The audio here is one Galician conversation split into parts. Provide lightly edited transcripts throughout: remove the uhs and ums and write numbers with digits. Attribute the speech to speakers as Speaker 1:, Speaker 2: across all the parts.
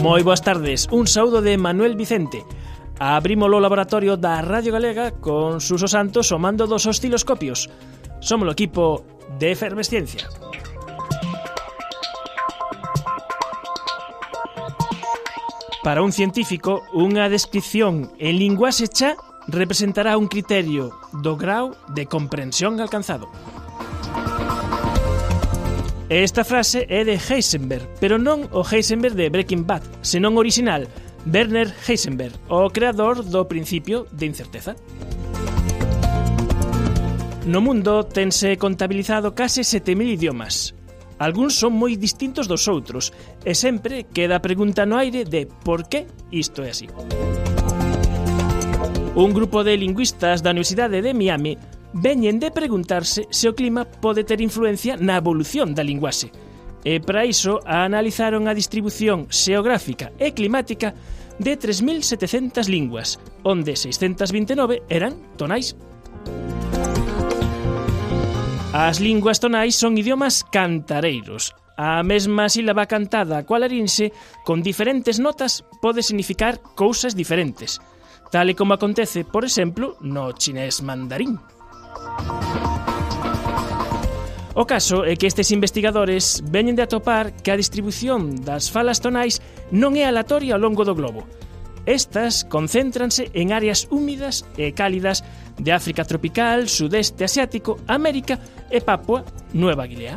Speaker 1: Moi boas tardes, un saúdo de Manuel Vicente. Abrimos o laboratorio da Radio Galega con Suso Santos o mando dos osciloscopios. Somos o equipo de Efervesciencia. Para un científico, unha descripción en linguaxe xa representará un criterio do grau de comprensión alcanzado. Esta frase é de Heisenberg, pero non o Heisenberg de Breaking Bad, senón original, Werner Heisenberg, o creador do principio de incerteza. No mundo tense contabilizado case 7.000 idiomas. Algúns son moi distintos dos outros, e sempre queda a pregunta no aire de por que isto é así. Un grupo de lingüistas da Universidade de Miami veñen de preguntarse se o clima pode ter influencia na evolución da linguaxe. E para iso analizaron a distribución xeográfica e climática de 3.700 linguas, onde 629 eran tonais. As linguas tonais son idiomas cantareiros. A mesma sílaba cantada coa larinxe con diferentes notas pode significar cousas diferentes, tal e como acontece, por exemplo, no chinés mandarín. O caso é que estes investigadores veñen de atopar que a distribución das falas tonais non é aleatoria ao longo do globo. Estas concéntranse en áreas húmidas e cálidas de África tropical, sudeste asiático, América e Papua Nueva Guinea.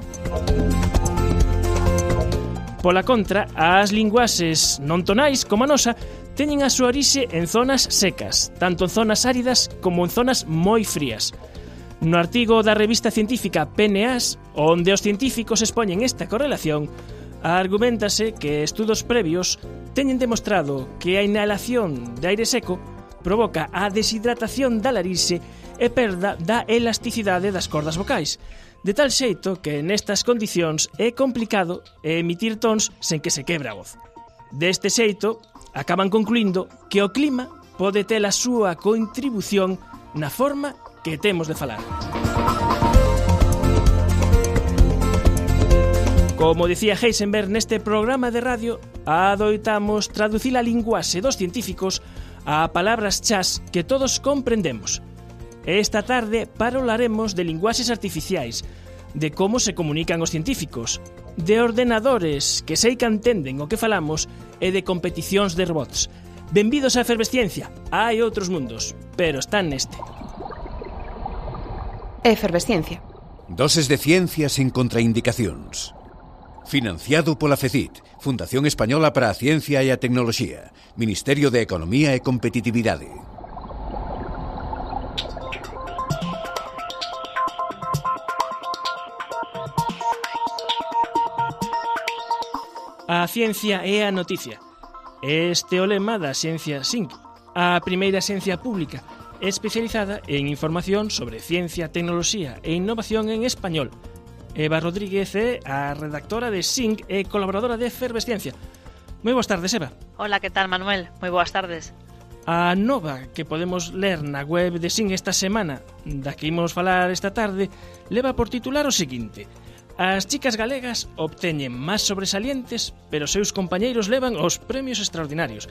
Speaker 1: Pola contra, as linguaxes non tonais como a nosa teñen a súa orixe en zonas secas, tanto en zonas áridas como en zonas moi frías. No artigo da revista científica PNAS, onde os científicos expoñen esta correlación, argumentase que estudos previos teñen demostrado que a inhalación de aire seco provoca a deshidratación da larinxe e perda da elasticidade das cordas vocais, de tal xeito que nestas condicións é complicado emitir tons sen que se quebre a voz. Deste xeito, acaban concluindo que o clima pode ter a súa contribución na forma que temos de falar. Como dicía Heisenberg neste programa de radio, adoitamos traducir a linguaxe dos científicos a palabras chás que todos comprendemos. Esta tarde parolaremos de linguaxes artificiais, de como se comunican os científicos, de ordenadores que sei que entenden o que falamos e de competicións de robots. Benvidos á Efervesciencia. Hai outros mundos, pero están neste.
Speaker 2: Efervesciencia.
Speaker 3: Doses de ciencia sen contraindicacións. Financiado pola FECIT, Fundación Española para a Ciencia e a Tecnoloxía, Ministerio de Economía e Competitividade.
Speaker 1: A ciencia é a noticia. Este é o lema da Ciencia SINC, a primeira ciencia pública especializada en información sobre ciencia, tecnoloxía e innovación en español. Eva Rodríguez é a redactora de SINC e colaboradora de Efervesciencia. Moi boas tardes, Eva.
Speaker 4: Hola, que tal, Manuel? Moi boas tardes.
Speaker 1: A nova que podemos ler na web de SINC esta semana, da que imos falar esta tarde, leva por titular o seguinte: as chicas galegas obteñen máis sobresalientes, pero seus compañeiros levan os premios extraordinarios.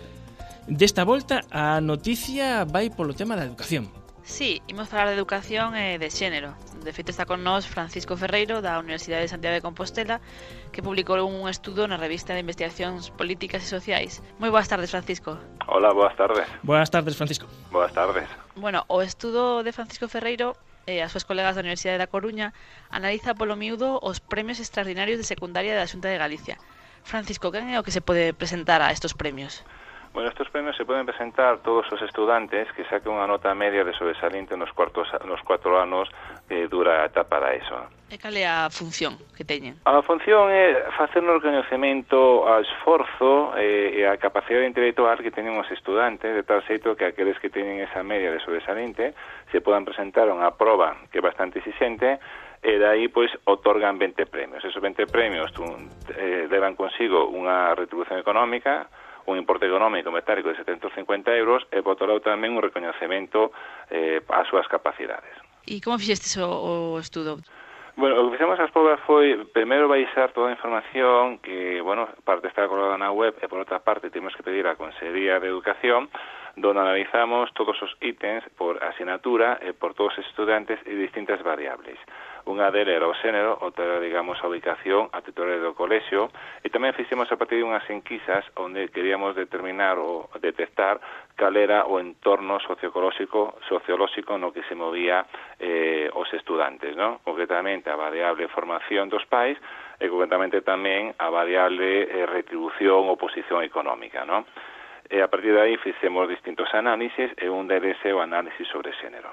Speaker 1: Desta volta, a noticia vai polo tema da educación.
Speaker 4: Sí, imos falar de educación e de xénero. De feito está con nós Francisco Ferreiro, da Universidade de Santiago de Compostela, que publicou un estudo na revista de investigacións políticas e sociais. Moi boas tardes, Francisco.
Speaker 5: Hola, boas tardes.
Speaker 1: Boas tardes, Francisco.
Speaker 5: Boas tardes.
Speaker 4: Bueno, o estudo de Francisco Ferreiro e as súas colegas da Universidade da Coruña analiza polo miúdo os premios extraordinarios de secundaria da Xunta de Galicia. Francisco, quen é o que se pode presentar a estos premios?
Speaker 5: Bueno, estos premios se poden presentar todos os estudantes que saquen unha nota media de sobresaliente nos 4 anos que dura a etapa da ESO.
Speaker 4: E cal é a función que teñen?
Speaker 5: A función é facer un reconhecemento ao esforzo e a capacidade intelectual que teñen os estudantes, de tal xeito que aqueles que teñen esa media de sobresaliente se podan presentar a unha proba que é bastante exixente e dai, pois, otorgan 20 premios. Esos 20 premios levan consigo unha retribución económica, un importe económico metálico de 750 euros e por outro lado tamén un recoñecemento ás súas capacidades.
Speaker 4: E como fixestes o estudo?
Speaker 5: Bueno, o que fixemos as probas foi, primeiro baixar toda a información que, bueno, parte está colgada na web e por outra parte temos que pedir á Consellería de Educación, donde analizamos todos os ítems por asignatura e por todos os estudantes e distintas variables. Unha delas era o xénero, outra era, digamos, a ubicación, a titularidade do colexio, e tamén fixemos a partir de unhas enquisas onde queríamos determinar ou detectar cal era o entorno sociolóxico no que se movía os estudantes, ¿no? Concretamente a variable formación dos pais e concretamente tamén a variable retribución ou posición económica, ¿no? E a partir de aí fixemos distintos análisis e un deles é o análisis sobre xénero.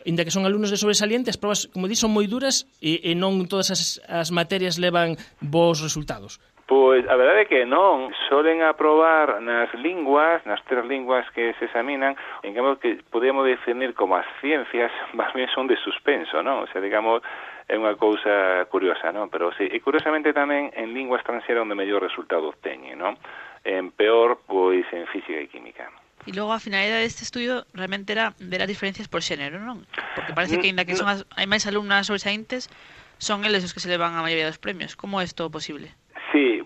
Speaker 1: Inda que son alumnos de sobresaliente, as probas, como di, son moi duras e non todas as materias levan bons resultados.
Speaker 5: Pois a verdade é que non, solen aprobar nas linguas, nas 3 linguas que se examinan, en cambio que podemos definir como as ciencias, máis ben son de suspenso, non? O sea, digamos, é unha cousa curiosa, non? Pero sí, e curiosamente tamén en lingua estranxera onde mellor resultado obteñen, non? En peor, pois en física e química.
Speaker 4: E logo a finalidade deste estudio realmente era ver as diferencias por xénero, non? Porque parece que, ainda que hai máis alumnas sobresaíntes, son eles os que se levan a maioría dos premios. Como é isto posible?
Speaker 5: Sí,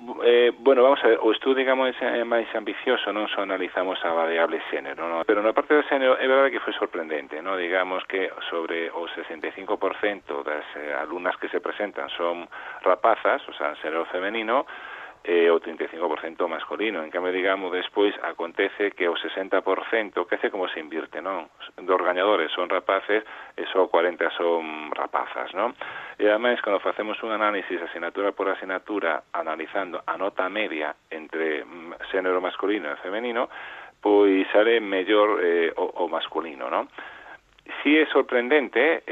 Speaker 5: bueno, vamos a ver, o estudo, digamos, é máis ambicioso, non só analizamos a variable xénero, non? Pero na parte do xénero é verdade que foi sorprendente, non? Digamos que sobre o 65% das alumnas que se presentan son rapazas, o sea, xénero femenino, o 35% masculino. En cambio, digamos, despois acontece que o 60%, que hace como se invirte, non? Dos gañadores son rapaces e só 40 son rapazas, non? E ademais, cando facemos un análisis asignatura por asignatura, analizando a nota media entre xénero masculino e femenino, pois sale mellor o masculino, non? Sí é sorprendente,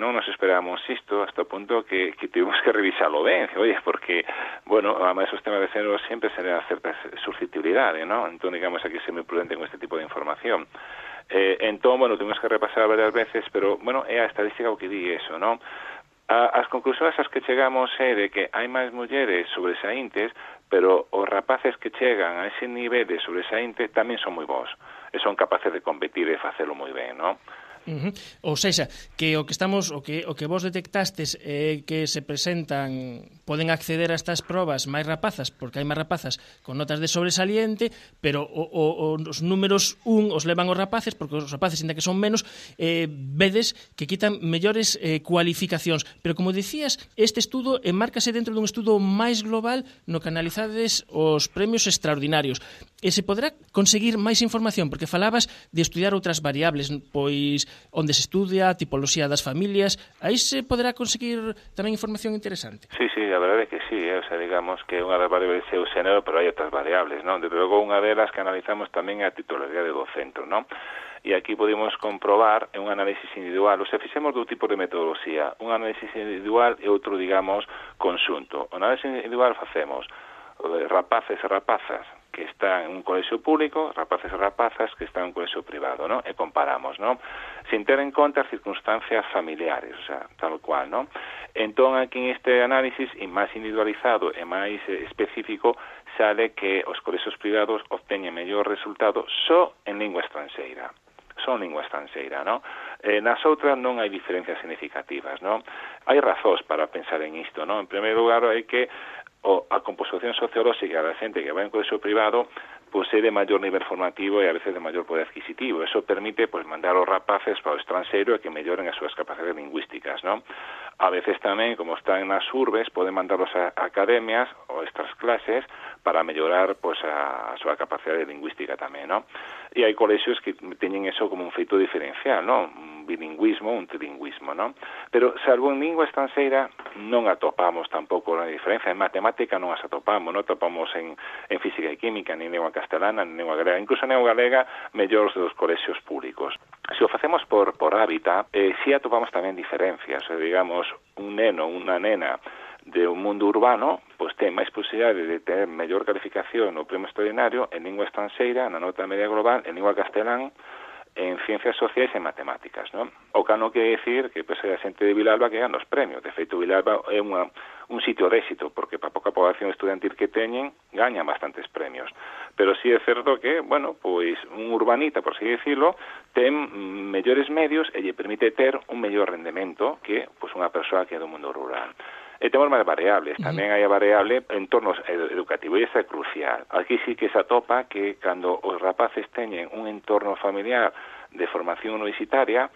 Speaker 5: non nos esperábamos isto hasta o punto que tuvimos que revisarlo ben, oye, porque, bueno, además os temas de género sempre será certa susceptibilidade, ¿no? Entón, digamos, aquí ser moi prudente con este tipo de información. Entón, bueno, tuvimos que repasar varias veces, pero, bueno, é a estadística o que di eso, ¿no? As conclusións as que chegamos é de que hai máis mulleres sobresaíntes, pero os rapaces que chegan a ese nivel de sobresaínte tamén son moi bons, e son capaces de competir e facelo moi ben, ¿no?
Speaker 1: Ou seja, que o que vos detectastes é que se presentan, poden acceder a estas probas máis rapazas, porque hai máis rapazas con notas de sobresaliente, pero os números 1 os levan os rapaces, porque os rapaces, ainda que son menos, vedes que quitan mellores cualificacións. Pero, como dicías, este estudo enmárcase dentro dun estudo máis global no que analizades os premios extraordinarios. E se poderá conseguir máis información, porque falabas de estudiar outras variables, pois onde se estudia a tipoloxía das familias, aí se poderá conseguir tamén información interesante.
Speaker 5: Sí, a verdade é que sí, o sea, digamos que unha das variables é o xénero, pero hai outras variables, non? Desde logo, unha delas que analizamos tamén é a titularidade do centro, non? E aquí podemos comprobar un análisis individual, o sea, fixemos dous tipos de metodoloxía, un análisis individual e outro, digamos, conxunto. O análisis individual facemos rapaces e rapazas que están en un colexio público, rapaces e rapazas que están en un colexio privado, ¿no? E comparamos, ¿no? Sin ter en conta as circunstancias familiares, o sea, tal cual, ¿no? Entón, aquí en este análisis, e máis individualizado e máis específico, sale que os colexios privados obteñen mellor resultado só en lingua estranxeira. Son lingua estranxeira, ¿no? Nas outras non hai diferencias significativas, ¿no? Hai razóns para pensar en isto, ¿no? En primeiro lugar, é que a composición sociolóxica da xente que vai en colexio privado é de maior nivel formativo e a veces de maior poder adquisitivo. Eso permite mandar os rapaces para o estranxeiro e que melloren as súas capacidades lingüísticas, ¿no? A veces tamén, como están nas urbes, poden mandarlos a academias ou estas clases para mellorar a súa capacidade lingüística tamén, ¿no? E hai colexios que teñen eso como un feito diferencial, ¿no? Un bilingüismo, un trilingüismo, ¿no? Pero, salvo en lingua estranxeira, non atopamos tampouco a diferencia. En matemática non as atopamos, non atopamos en física e química, ni en lingua castelana, ni en lingua galega. Incluso en lingua galega, mellores dos colexios públicos. Se o facemos por hábitat, si atopamos tamén diferencias. Digamos, un neno, unha nena de un mundo urbano, ten máis posibilidade de ter mellor calificación no premio extraordinario en lingua estranxeira, na nota media global, en lingua castelán, en ciencias sociais e matemáticas, non? O que non quere decir que pois, a xente de Vilalba que gana os premios. De feito, Vilalba é un sitio de éxito, porque para pouca población estudantil que teñen, gañan bastantes premios. Pero sí é certo que, bueno, pois un urbanita, por así decirlo, ten mellores medios e lle permite ter un mellor rendemento que pois unha persoa que é do mundo rural. E temos máis variables, tamén hai a variable entornos educativo, e esa é crucial. Aquí sí que se atopa que cando os rapaces teñen un entorno familiar de formación universitaria,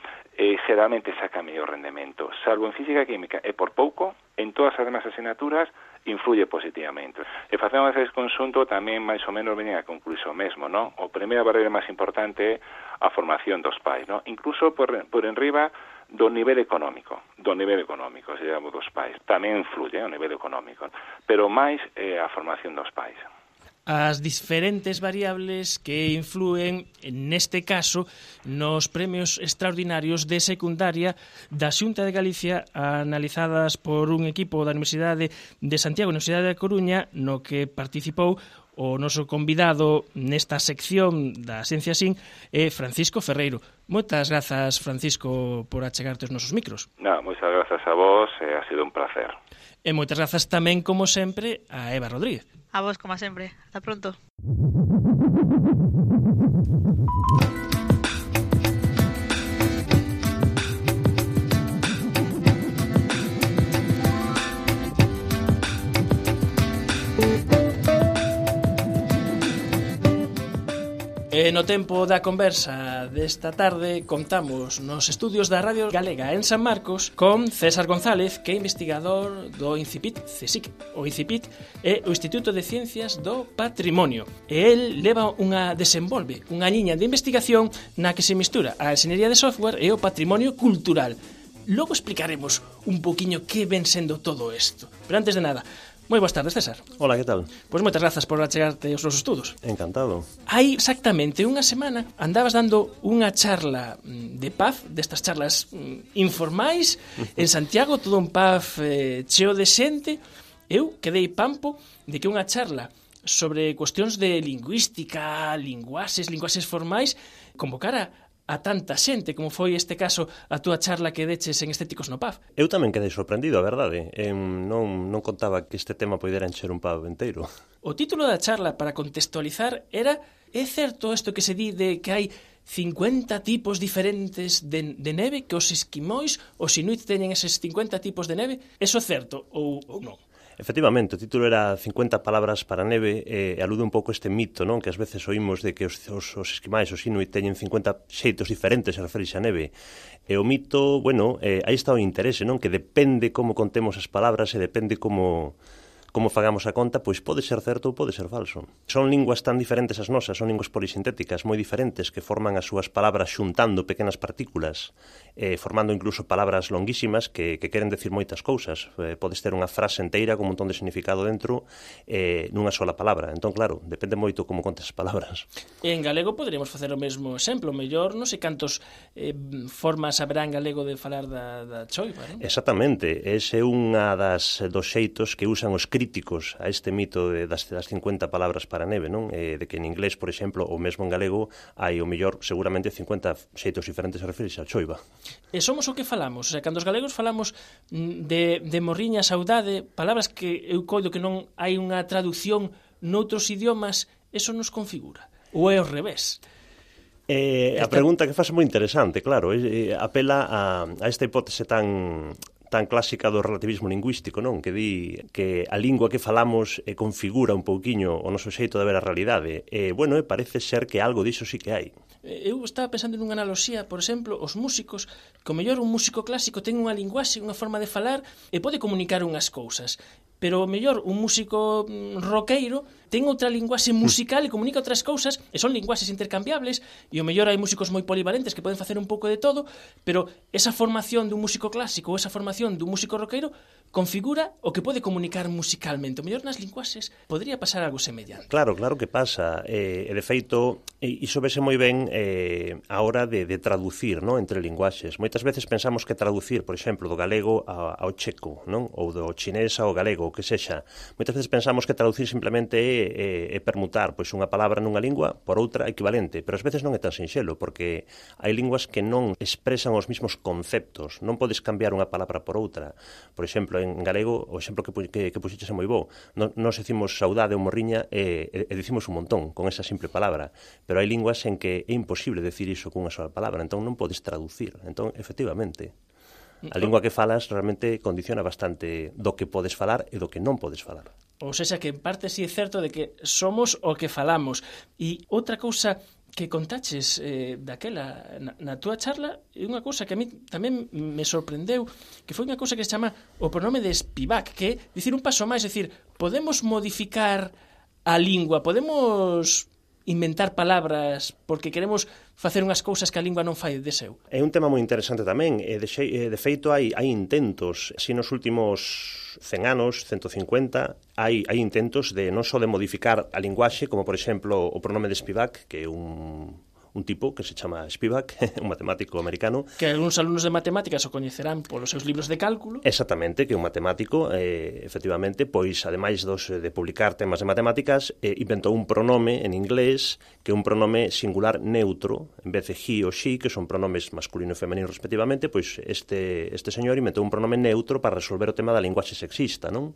Speaker 5: xeralmente saca mellor rendemento. Salvo en física e química, e por pouco, en todas as demás asignaturas, influye positivamente. E facemos ese conxunto tamén máis ou menos veñen a concluir o mesmo, non? O primeira barreira máis importante é a formación dos pais, non? Incluso por enriba do nivel económico, se chama dos pais. Tamén influye o nivel económico, pero máis a formación dos pais.
Speaker 1: As diferentes variables que influen, neste caso, nos premios extraordinarios de secundaria da Xunta de Galicia, analizadas por un equipo da Universidade de Santiago e Universidade da Coruña, no que participou o noso convidado nesta sección da Ciencia Sin é Francisco Ferreiro. Moitas grazas, Francisco, por achegarte os nosos micros.
Speaker 5: Moitas grazas a vos, ha sido un placer.
Speaker 1: E moitas grazas tamén, como sempre, a Eva Rodríguez.
Speaker 4: A vos, como sempre. Hasta pronto.
Speaker 1: E no tempo da conversa desta tarde contamos nos estudios da Radio Galega en San Marcos con César González, que é investigador do INCIPIT CSIC. O INCIPIT é o Instituto de Ciencias do Patrimonio. E el desenvolve unha liña de investigación na que se mistura a enxeñería de software e o patrimonio cultural. Logo explicaremos un poquinho que ven sendo todo isto. Pero antes de nada, moi boas tardes, César.
Speaker 2: Hola, que tal?
Speaker 1: Pois moitas grazas por achegarte aos nosos estudos.
Speaker 2: Encantado.
Speaker 1: Hai exactamente unha semana andabas dando unha charla de paz, destas charlas informais, en Santiago, todo un paz cheo de xente. Eu quedei pampo de que unha charla sobre cuestións de lingüística, linguaxes formais, convocara a tanta xente, como foi este caso a túa charla que deches en Estéticos no PAF.
Speaker 2: Eu tamén quedei sorprendido, a verdade. Non contaba que este tema poidera encher un PAF inteiro.
Speaker 1: O título da charla, para contextualizar, era: é certo isto que se di de que hai 50 tipos diferentes de neve, que os esquimóis, os inuit teñen eses 50 tipos de neve? Eso é certo ou non?
Speaker 2: Efectivamente, o título era 50 palabras para neve e alude un pouco a este mito, non? Que ás veces oímos de que os esquimais, os inuit, teñen 50 xeitos diferentes a referirse a neve. E o mito, bueno, aí está o interese, non? Que depende como contemos as palabras e depende como fagamos a conta, pois pode ser certo ou pode ser falso. Son linguas tan diferentes as nosas, son linguas polisintéticas moi diferentes que forman as súas palabras xuntando pequenas partículas, formando incluso palabras longuísimas que queren decir moitas cousas. Podes ter unha frase enteira con un montón de significado dentro nunha sola palabra. Entón, claro, depende moito como contes as palabras.
Speaker 1: En galego poderíamos facer o mesmo exemplo. Mellor non sei cantos formas haberá en galego de falar da choiva, non?
Speaker 2: Exactamente. Ese é unha dos xeitos que usan os críticos a este mito das 50 palabras para neve, non? De que en inglés, por exemplo, ou mesmo en galego, hai o mellor seguramente 50 xeitos diferentes a referirse a choiva.
Speaker 1: E somos o que falamos, o sea, cando os galegos falamos de morriña, saudade, palabras que eu coido que non hai unha traducción noutros idiomas, eso nos configura, ou é ao revés?
Speaker 2: A pregunta que faz é moi interesante, claro, apela a esta hipótese tan clásica do relativismo lingüístico, non? Que di que a lingua que falamos configura un pouquiño o noso xeito de ver a realidade. Bueno, parece ser que algo diso sí que hai.
Speaker 1: Eu estaba pensando nunha analoxía, por exemplo, os músicos, que o mellor un músico clásico ten unha linguaxe, unha forma de falar e pode comunicar unhas cousas. Pero o mellor un músico roqueiro ten outra linguaxe musical e comunica outras cousas, e son linguaxes intercambiables, e o mellor hai músicos moi polivalentes que poden facer un pouco de todo, pero esa formación dun músico clásico ou esa formación dun músico roqueiro configura o que pode comunicar musicalmente. O mellor nas linguaxes podría pasar algo semellante.
Speaker 2: Claro que pasa. E de feito, E iso vese moi ben a hora de traducir, non, entre linguaxes. Moitas veces pensamos que traducir, por exemplo, do galego ao checo, non, ou do chinés ao galego, o que sexa. Moitas veces pensamos que traducir simplemente é permutar pois unha palabra nunha lingua por outra equivalente, pero ás veces non é tan sinxelo, porque hai linguas que non expresan os mesmos conceptos. Non podes cambiar unha palabra por outra. Por exemplo, en galego, o exemplo que puxeches é moi bo. Nos decimos saudade ou morriña e dicimos un montón con esa simple palabra. Pero hai linguas en que é imposible decir iso cunha sola palabra, entón non podes traducir. Entón, efectivamente, a lingua que falas realmente condiciona bastante do que podes falar e do que non podes falar.
Speaker 1: Ou seja, que en parte sí é certo de que somos o que falamos. E outra cousa que contaches daquela na túa charla é unha cousa que a mí tamén me sorprendeu, que foi unha cousa que se chama o pronome de Spivak, que é dicir un paso máis, é dicir, podemos modificar a lingua, podemos inventar palabras porque queremos facer unhas cousas que a lingua non fai de seu.
Speaker 2: É un tema moi interesante tamén. De feito, hai intentos, si nos últimos 100 anos, 150, hai intentos de non só de modificar a linguaxe, como por exemplo o pronome de Spivak, que é un tipo que se chama Spivak, un matemático americano.
Speaker 1: Que algúns alumnos de matemáticas o coñecerán polos seus libros de cálculo.
Speaker 2: Exactamente, que é un matemático, efectivamente, pois, ademais de publicar temas de matemáticas, inventou un pronome en inglés, que é un pronome singular neutro, en vez de he ou she, que son pronomes masculino e femenino respectivamente, pois este señor inventou un pronome neutro para resolver o tema da linguaxe sexista, non?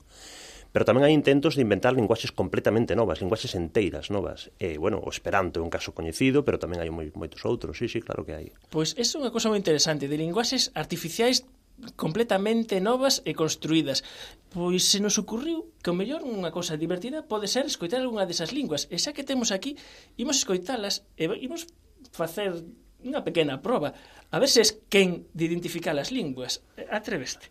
Speaker 2: Pero tamén hai intentos de inventar linguaxes completamente novas, linguaxes enteiras novas. O Esperanto é un caso coñecido, pero tamén hai moitos outros, sí, claro que hai.
Speaker 1: Pois é unha cosa moi interesante, de linguaxes artificiais completamente novas e construídas. Pois se nos ocurriu que o mellor unha cousa divertida pode ser escoitar algunha desas linguas. E xa que temos aquí, imos escoitalas e imos facer unha pequena proba. A ver se es quen de identificar as linguas. Atreveste?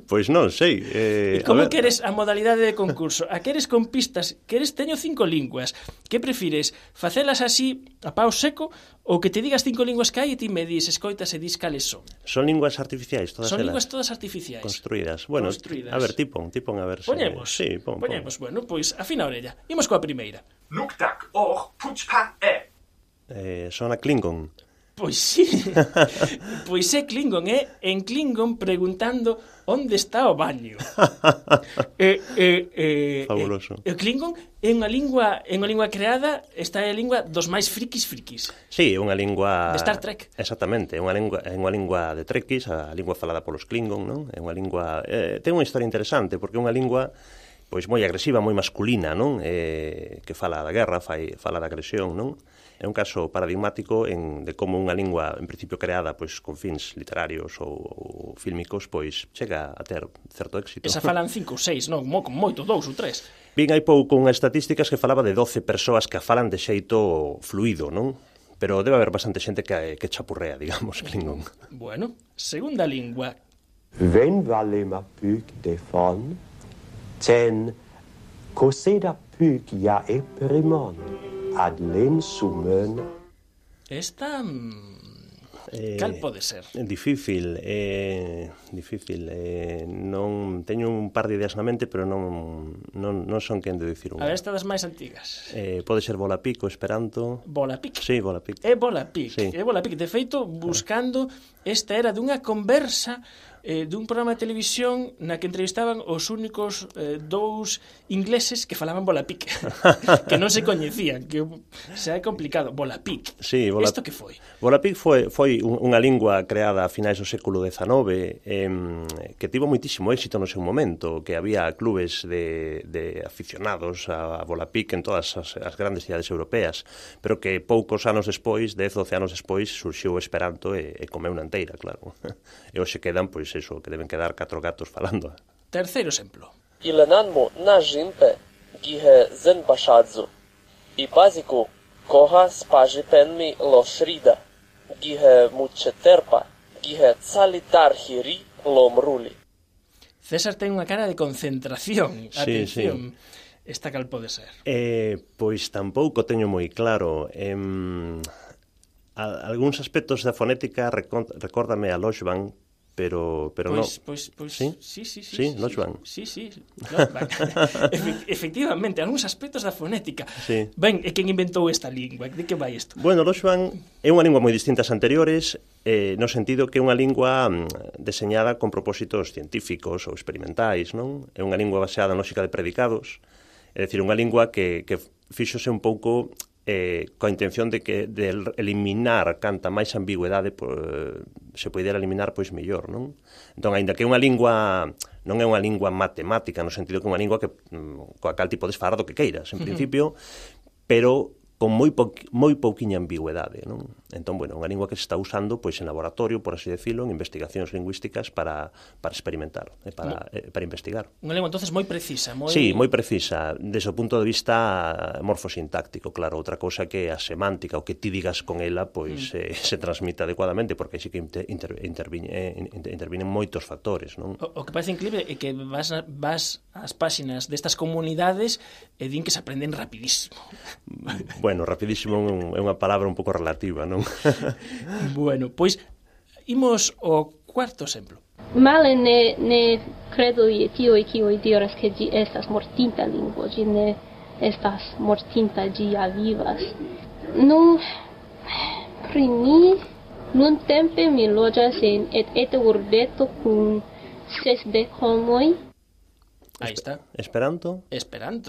Speaker 2: Pois non sei.
Speaker 1: E como queres a modalidade de concurso? A queres con pistas? Queres teño 5 linguas? Que prefires? Facelas así a pau seco ou que te digas 5 linguas que hai e ti me dis, escoitas e dis cales son?
Speaker 2: Son linguas artificiais todas elas?
Speaker 1: Son linguas todas artificiais.
Speaker 2: Construídas. Bueno,
Speaker 1: construídas.
Speaker 2: A ver, tipon a ver se...
Speaker 1: Poñemos.
Speaker 2: Sí, pon.
Speaker 1: Bueno, pois afina a orella. Imos coa primeira.
Speaker 6: Luktak or puchpa
Speaker 2: Son a Klingon.
Speaker 1: Pois sí, pois é Klingon, en Klingon preguntando onde está o baño.
Speaker 2: Fabuloso.
Speaker 1: O Klingon é unha lingua creada, esta é a lingua dos máis frikis.
Speaker 2: Sí, é unha lingua...
Speaker 1: De Star Trek.
Speaker 2: Exactamente, é unha lingua de trekkies, a lingua falada polos Klingon, non? É unha lingua... ten unha historia interesante, porque é unha lingua pois moi agresiva, moi masculina, non? Que fala da guerra, fala da agresión, non? É un caso paradigmático de como unha lingua, en principio creada pois con fins literarios ou fílmicos, pois chega a ter certo éxito.
Speaker 1: Esa falan 5 ou 6, non? Con moito, 2 ou 3.
Speaker 2: Vin hai pouco unhas estatísticas que falaba de 12 persoas que a falan de xeito fluido, non? Pero debe haber bastante xente que chapurrea, digamos, Klingon.
Speaker 1: Bueno, segunda lingua.
Speaker 7: Ven valema pyk defon, ten coseda pyk ja eprimon. Adlen sumen.
Speaker 1: Esta... cal pode ser?
Speaker 2: Difícil. Non teño un par de ideas na mente, pero non son quen de dicir unha.
Speaker 1: A ver, esta das máis antigas.
Speaker 2: Pode ser Volapik ou Esperanto.
Speaker 1: Volapik?
Speaker 2: Sí, Volapik.
Speaker 1: É Volapik.
Speaker 2: Sí.
Speaker 1: É Volapik. De feito, buscando, esta era dunha conversa dun programa de televisión na que entrevistaban os únicos 2 ingleses que falaban Volapik, que non se coñecían, que xa é complicado. Volapik.
Speaker 2: Sí,
Speaker 1: Isto que foi?
Speaker 2: Volapik foi unha lingua creada a finais do século XIX que tivo moitísimo éxito no seu momento, que había clubes de aficionados a Volapik en todas as grandes cidades europeas, pero que poucos anos despois, 10-12 anos despois, surxiu o Esperanto e comeu na enteira, claro. E hoxe quedan, pois, eso, que deben quedar 4 gatos falando.
Speaker 1: Terceiro exemplo.
Speaker 8: Ilananmo na žimpe, gihe zen bashadzu. I paziku, koha spaži penmi lo shrida, gihe muče terpa, gihe cali darhiri lo mruli.
Speaker 1: César ten unha cara de concentración. Atención.
Speaker 2: Sí.
Speaker 1: Esta cal pode ser?
Speaker 2: Pois tampouco teño moi claro. Algúns aspectos da fonética recórdame a Loxban, pero
Speaker 1: Pois,
Speaker 2: sí? Sí, non, Joan?
Speaker 1: Sí. No, efectivamente, algúns aspectos da fonética.
Speaker 2: Sí.
Speaker 1: Ben, e quen inventou esta lingua? De que vai isto?
Speaker 2: Bueno, o Joan é unha lingua moi distinta ás anteriores, no sentido que é unha lingua deseñada con propósitos científicos ou experimentais, non? É unha lingua baseada en lógica de predicados, é dicir, unha lingua que fíxose un pouco coa intención de eliminar canta máis ambigüedade se poidera eliminar, pois mellor, non? Entón, aínda que é unha lingua non é unha lingua matemática, no sentido que é unha lingua que coa cal ti podes falar do que queiras, en principio, pero con moi pouquiña ambigüedade, non? Entón, bueno, unha lingua que se está usando pois en laboratorio, por así decirlo, en investigacións lingüísticas para experimentar, para investigar.
Speaker 1: Unha lingua, entonces, moi precisa.
Speaker 2: Sí, moi precisa, desde o punto de vista morfosintáctico, claro. Outra cousa que a semántica, o que ti digas con ela, pois se transmite adecuadamente, porque aí sí que intervinen moitos factores, non?
Speaker 1: O que parece increíble é que vas ás páxinas destas comunidades e din que se aprenden rapidísimo.
Speaker 2: Bueno, rapidísimo é unha palabra un pouco relativa, non?
Speaker 1: Bueno, pois imos ao cuarto exemplo.
Speaker 9: Male ne credo je tiuj kiuj diras ke ĝi estas mortinta lingvo, ĝi ne estas mortinta, ĝi ja vivas. Nu, pri mi nuntempe mi loĝas en eta urbeto kun 60 homoj.
Speaker 1: Aí está.
Speaker 2: Esperanto,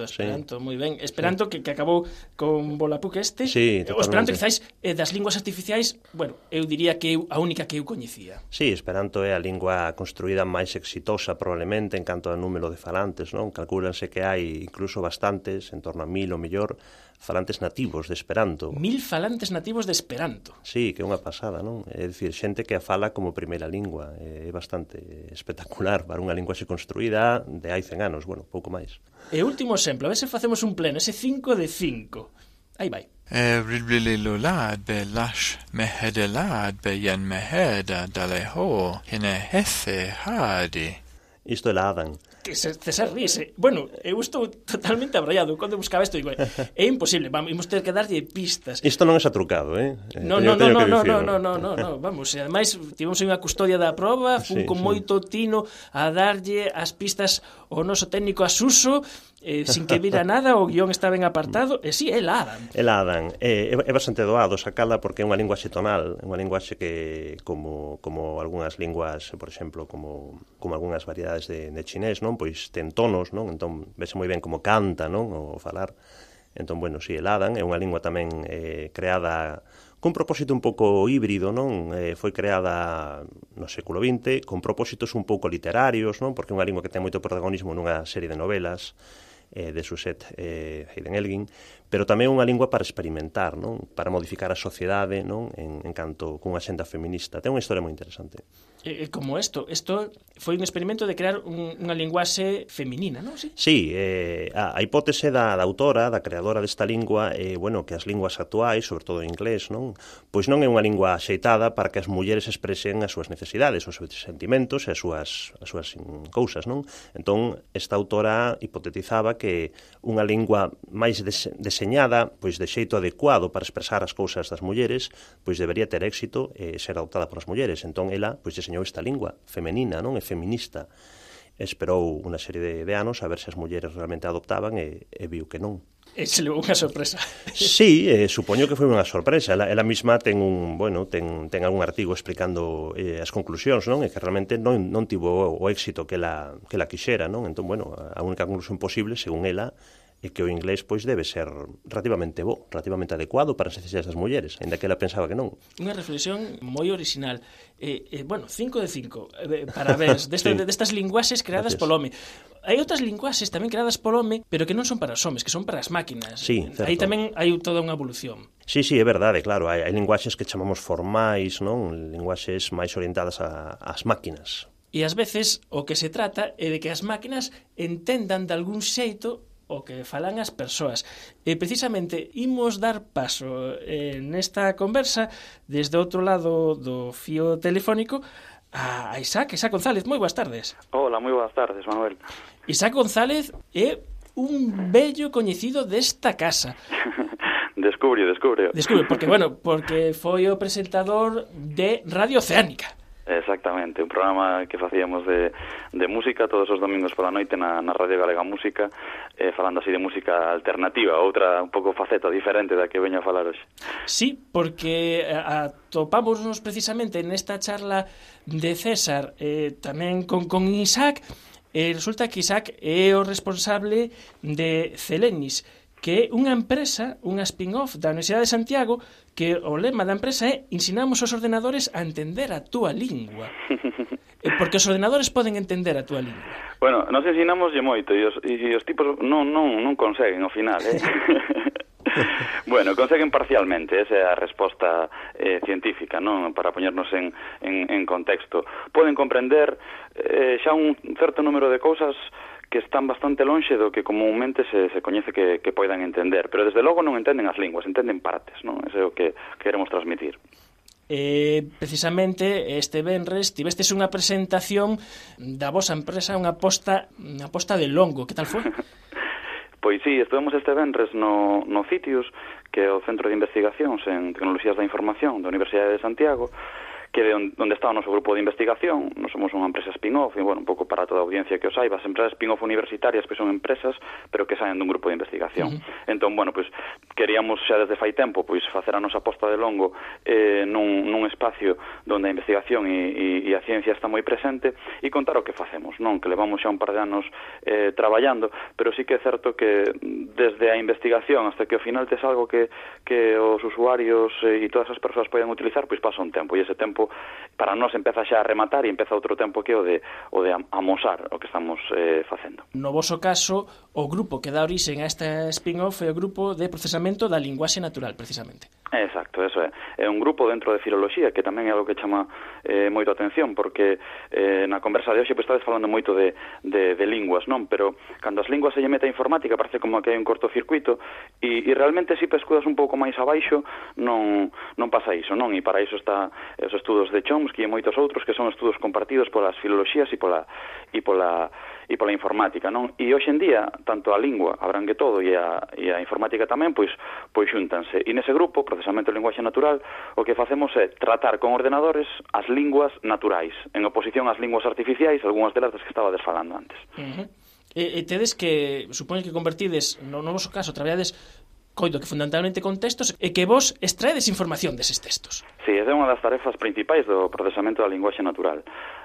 Speaker 1: sí. Moi ben. Esperanto que acabou con Volapük este.
Speaker 2: Sí, totalmente.
Speaker 1: O Esperanto, quizáis, das linguas artificiais, bueno, eu diría que a única que eu coñecía.
Speaker 2: Sí, Esperanto é a lingua construída máis exitosa probablemente en canto ao número de falantes, non? Calcúlanse que hai incluso bastantes, en torno a 1000 ou mellor, falantes nativos de Esperanto.
Speaker 1: 1000 falantes nativos de Esperanto.
Speaker 2: Sí, que é unha pasada, non? É dicir, xente que a fala como primeira lingua. É bastante espectacular para unha lingua xe construída de hai 100 anos, bueno, pouco máis.
Speaker 1: E último exemplo, a ver se facemos un pleno, ese 5 de 5. Aí vai.
Speaker 10: Ridblililulad be lash mehedelad be yen meheda daleho hine hefe hadi.
Speaker 2: Isto é la Adam.
Speaker 1: Que César ríse. Bueno, eu estou totalmente abraiado. Cando buscaba isto, digo, é imposible, vamos ter que darlle pistas.
Speaker 2: Isto non é satrucado,
Speaker 1: No, vamos, e ademais tivemos unha custodia da proba, fun con moito tino a darlle as pistas ao noso técnico Asuso, sin que vira nada, o guión está ben apartado, e si, é la Adam.
Speaker 2: É la Adam. É bastante doado sacala porque é unha linguaxe tonal, unha linguaxe que, como algunhas linguas, por exemplo, como algunhas variedades de chinés, non? Pois ten tonos, non? Entón, vese moi ben como canta, non? O falar. Entón, bueno, si, el Adam é unha lingua tamén creada cun propósito un pouco híbrido, non? Foi creada no século XX con propósitos un pouco literarios, non? Porque é unha lingua que ten moito protagonismo nunha serie de novelas de Suzette Haydn-Elgin, pero tamén unha lingua para experimentar, non? Para modificar a sociedade, non? En canto cunha xenda feminista. Ten unha historia moi interesante.
Speaker 1: Como isto foi un experimento de crear unha linguaxe feminina, non?
Speaker 2: Sí, a hipótese da autora, da creadora desta lingua, bueno, que as linguas actuais, sobre todo en inglés, non? Pois non é unha lingua axeitada para que as mulleres expresen as súas necesidades, os seus sentimentos e as súas cousas, non? Entón, esta autora hipotetizaba que unha lingua máis deseñada, pois de xeito adecuado para expresar as cousas das mulleres, pois debería ter éxito e ser adoptada polas mulleres. Entón, ela, pois, deseñou esta lingua femenina, non? É feminista. Esperou unha serie de anos a ver se as mulleres realmente adoptaban e viu que non.
Speaker 1: E se levou unha sorpresa.
Speaker 2: Sí, supoño que foi unha sorpresa. Ela mesma ten algún artigo explicando as conclusións, non? E que realmente non tivo o éxito que ela quixera, non? Entón, bueno, a única conclusión posible, según ela, é que o inglés pois debe ser relativamente bo, relativamente adecuado para as necesidades das mulleres, ainda que ela pensaba que non.
Speaker 1: Unha reflexión moi original. Bueno, 5 de 5 para ver destas linguaxes creadas polo home. Hai outras linguaxes tamén creadas polo home, pero que non son para os homes, que son para as máquinas.
Speaker 2: Sí, certo.
Speaker 1: Aí tamén hai toda unha evolución.
Speaker 2: Sí, é verdade, claro. Hai linguaxes que chamamos formais, non? Linguaxes máis orientadas ás máquinas.
Speaker 1: E ás veces o que se trata é de que as máquinas entendan de algún xeito o que falan as persoas. E precisamente imos dar paso nesta conversa desde outro lado do fío telefónico a Isaac González. Moi boas tardes.
Speaker 11: Hola, moi boas tardes, Manuel.
Speaker 1: Isaac González é un vello coñecido desta casa.
Speaker 11: Descubre,
Speaker 1: porque foi o presentador de Radio Oceánica.
Speaker 11: Exactamente, un programa que facíamos de música todos os domingos pola noite na Radio Galega Música, falando así de música alternativa, outra un pouco faceta diferente da que veño a falar hoxe.
Speaker 1: Sí, porque atopámonos precisamente nesta charla de César, tamén con Isaac, resulta que Isaac é o responsable de Celenis, que é unha empresa, unha spin-off da Universidade de Santiago, que o lema da empresa é ensinamos aos ordenadores a entender a túa lingua. Porque os ordenadores poden entender a túa lingua.
Speaker 11: Bueno, nos ensinámoslle moito e os tipos non conseguen ao final, Bueno, conseguen parcialmente, esa é a resposta científica, non? Para poñernos en contexto. Poden comprender xa un certo número de cousas que están bastante lonxe do que comúnmente se coñece que poidan entender, pero desde logo non entenden as linguas, entenden partes, non? Ese é o que queremos transmitir.
Speaker 1: Precisamente este venres tivestes unha presentación da vosa empresa, unha posta de longo, que tal foi?
Speaker 11: Pois sí, estuvemos este venres no CITIUS, que é o Centro de Investigacións en Tecnoloxías da Información da Universidade de Santiago, que é onde está o noso grupo de investigación. Nós somos unha empresa spin-off, e, bueno, un pouco para toda a audiencia que o saiba, as empresas spin-off universitarias que son empresas, pero que saen dun grupo de investigación. Entón, bueno, pois, queríamos xa desde fai tempo, pois, facer a nosa posta de longo nun espacio onde a investigación e a ciencia está moi presente, e contar o que facemos, non? Que levamos xa un par de anos traballando, pero sí que é certo que desde a investigación hasta que ao final tes algo que os usuarios e todas as persoas poden utilizar, pois pasa un tempo, e ese tempo para nós empeza xa a rematar e empeza outro tempo que o de amosar o que estamos facendo.
Speaker 1: No voso caso, o grupo que dá origen a esta spin-off é o grupo de procesamento da linguaxe natural, precisamente.
Speaker 11: Exacto, eso é. É un grupo dentro de filoloxía que tamén é algo que chama moito a atención, porque na conversa de hoxe estades falando moito de linguas, non? Pero cando as linguas se lle mete a informática parece como que hai un cortocircuito e realmente se pescudas un pouco máis abaixo non pasa iso, non? E para iso está os estudos de Chomsky e moitos outros que son estudos compartidos polas filoloxías e pola informática, non? E hoxe en día, tanto a lingua abrangue todo e a informática tamén, pois xúntanse. E nese grupo, procesamento de linguaxe natural, o que facemos é tratar con ordenadores as linguas naturais, en oposición ás linguas artificiais, algunhas delas das que estaba desfalando antes.
Speaker 1: E tedes que, supoño que convertides, no voso caso, traballades coido que fundamentalmente con textos e que vos extraedes información deses textos.
Speaker 11: Sí, esa é unha das tarefas principais do procesamento da linguaxe natural.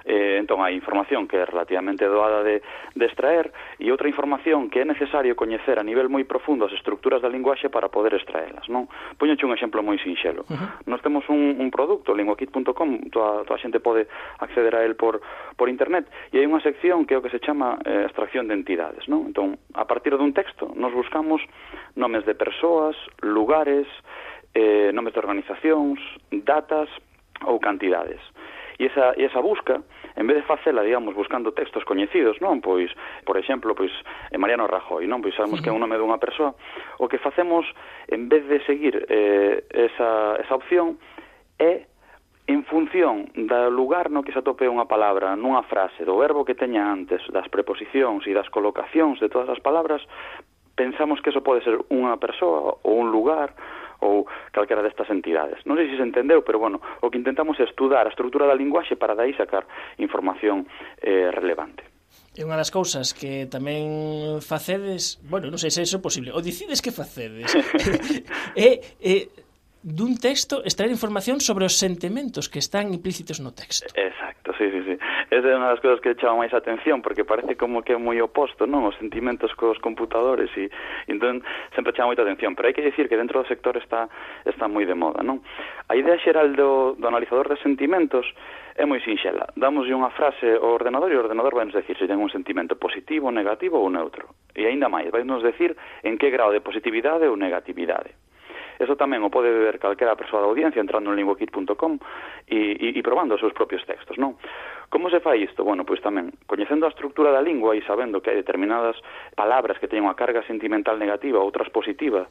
Speaker 11: Entón, hai información que é relativamente doada de extraer e outra información que é necesario coñecer a nivel moi profundo as estructuras da linguaxe para poder extraelas, non? Poñoche un exemplo moi sinxelo. Nós temos un produto, linguakit.com, toda a xente pode acceder a él por internet, e hai unha sección que é o que se chama extracción de entidades, non? Entón, a partir dun texto, nos buscamos nomes de persoas, lugares, nomes de organizacións, datas ou cantidades. E esa busca, en vez de facela, digamos, buscando textos coñecidos, non? Pois, por exemplo, Mariano Rajoy, non? Pois sabemos que é un nome dunha persoa. O que facemos, en vez de seguir esa opción, é en función do lugar no que se atope unha palabra, nunha frase, do verbo que teña antes, das preposicións e das colocacións de todas as palabras, pensamos que eso pode ser unha persoa ou un lugar ou calquera destas entidades. Non sei se se entendeu, pero, bueno, o que intentamos é estudar a estrutura da linguaxe para dai sacar información relevante.
Speaker 1: É unha das cousas que tamén facedes, bueno, non sei se é iso posible, ou decides que facedes, dun texto extraer información sobre os sentimentos que están implícitos no texto.
Speaker 11: Exacto, sí. Esa é unha das cousas que chama máis atención, porque parece como que é moi oposto, non? Os sentimentos cos computadores, e entón sempre chama moita atención, pero hai que dicir que dentro do sector está moi de moda, non? A idea xeral do analizador de sentimentos é moi sinxela. Dámoslle unha frase ao ordenador e o ordenador vai nos decir se ten un sentimento positivo, negativo ou neutro. E aínda máis, vai nos decir en que grau de positividade ou negatividade. Eso tamén o pode ver calquera persoa da audiencia entrando en linguakit.com e probando os seus propios textos, non? Como se fai isto? Bueno, pois tamén, coñecendo a estructura da lingua e sabendo que hai determinadas palabras que teñen unha carga sentimental negativa, outras positivas,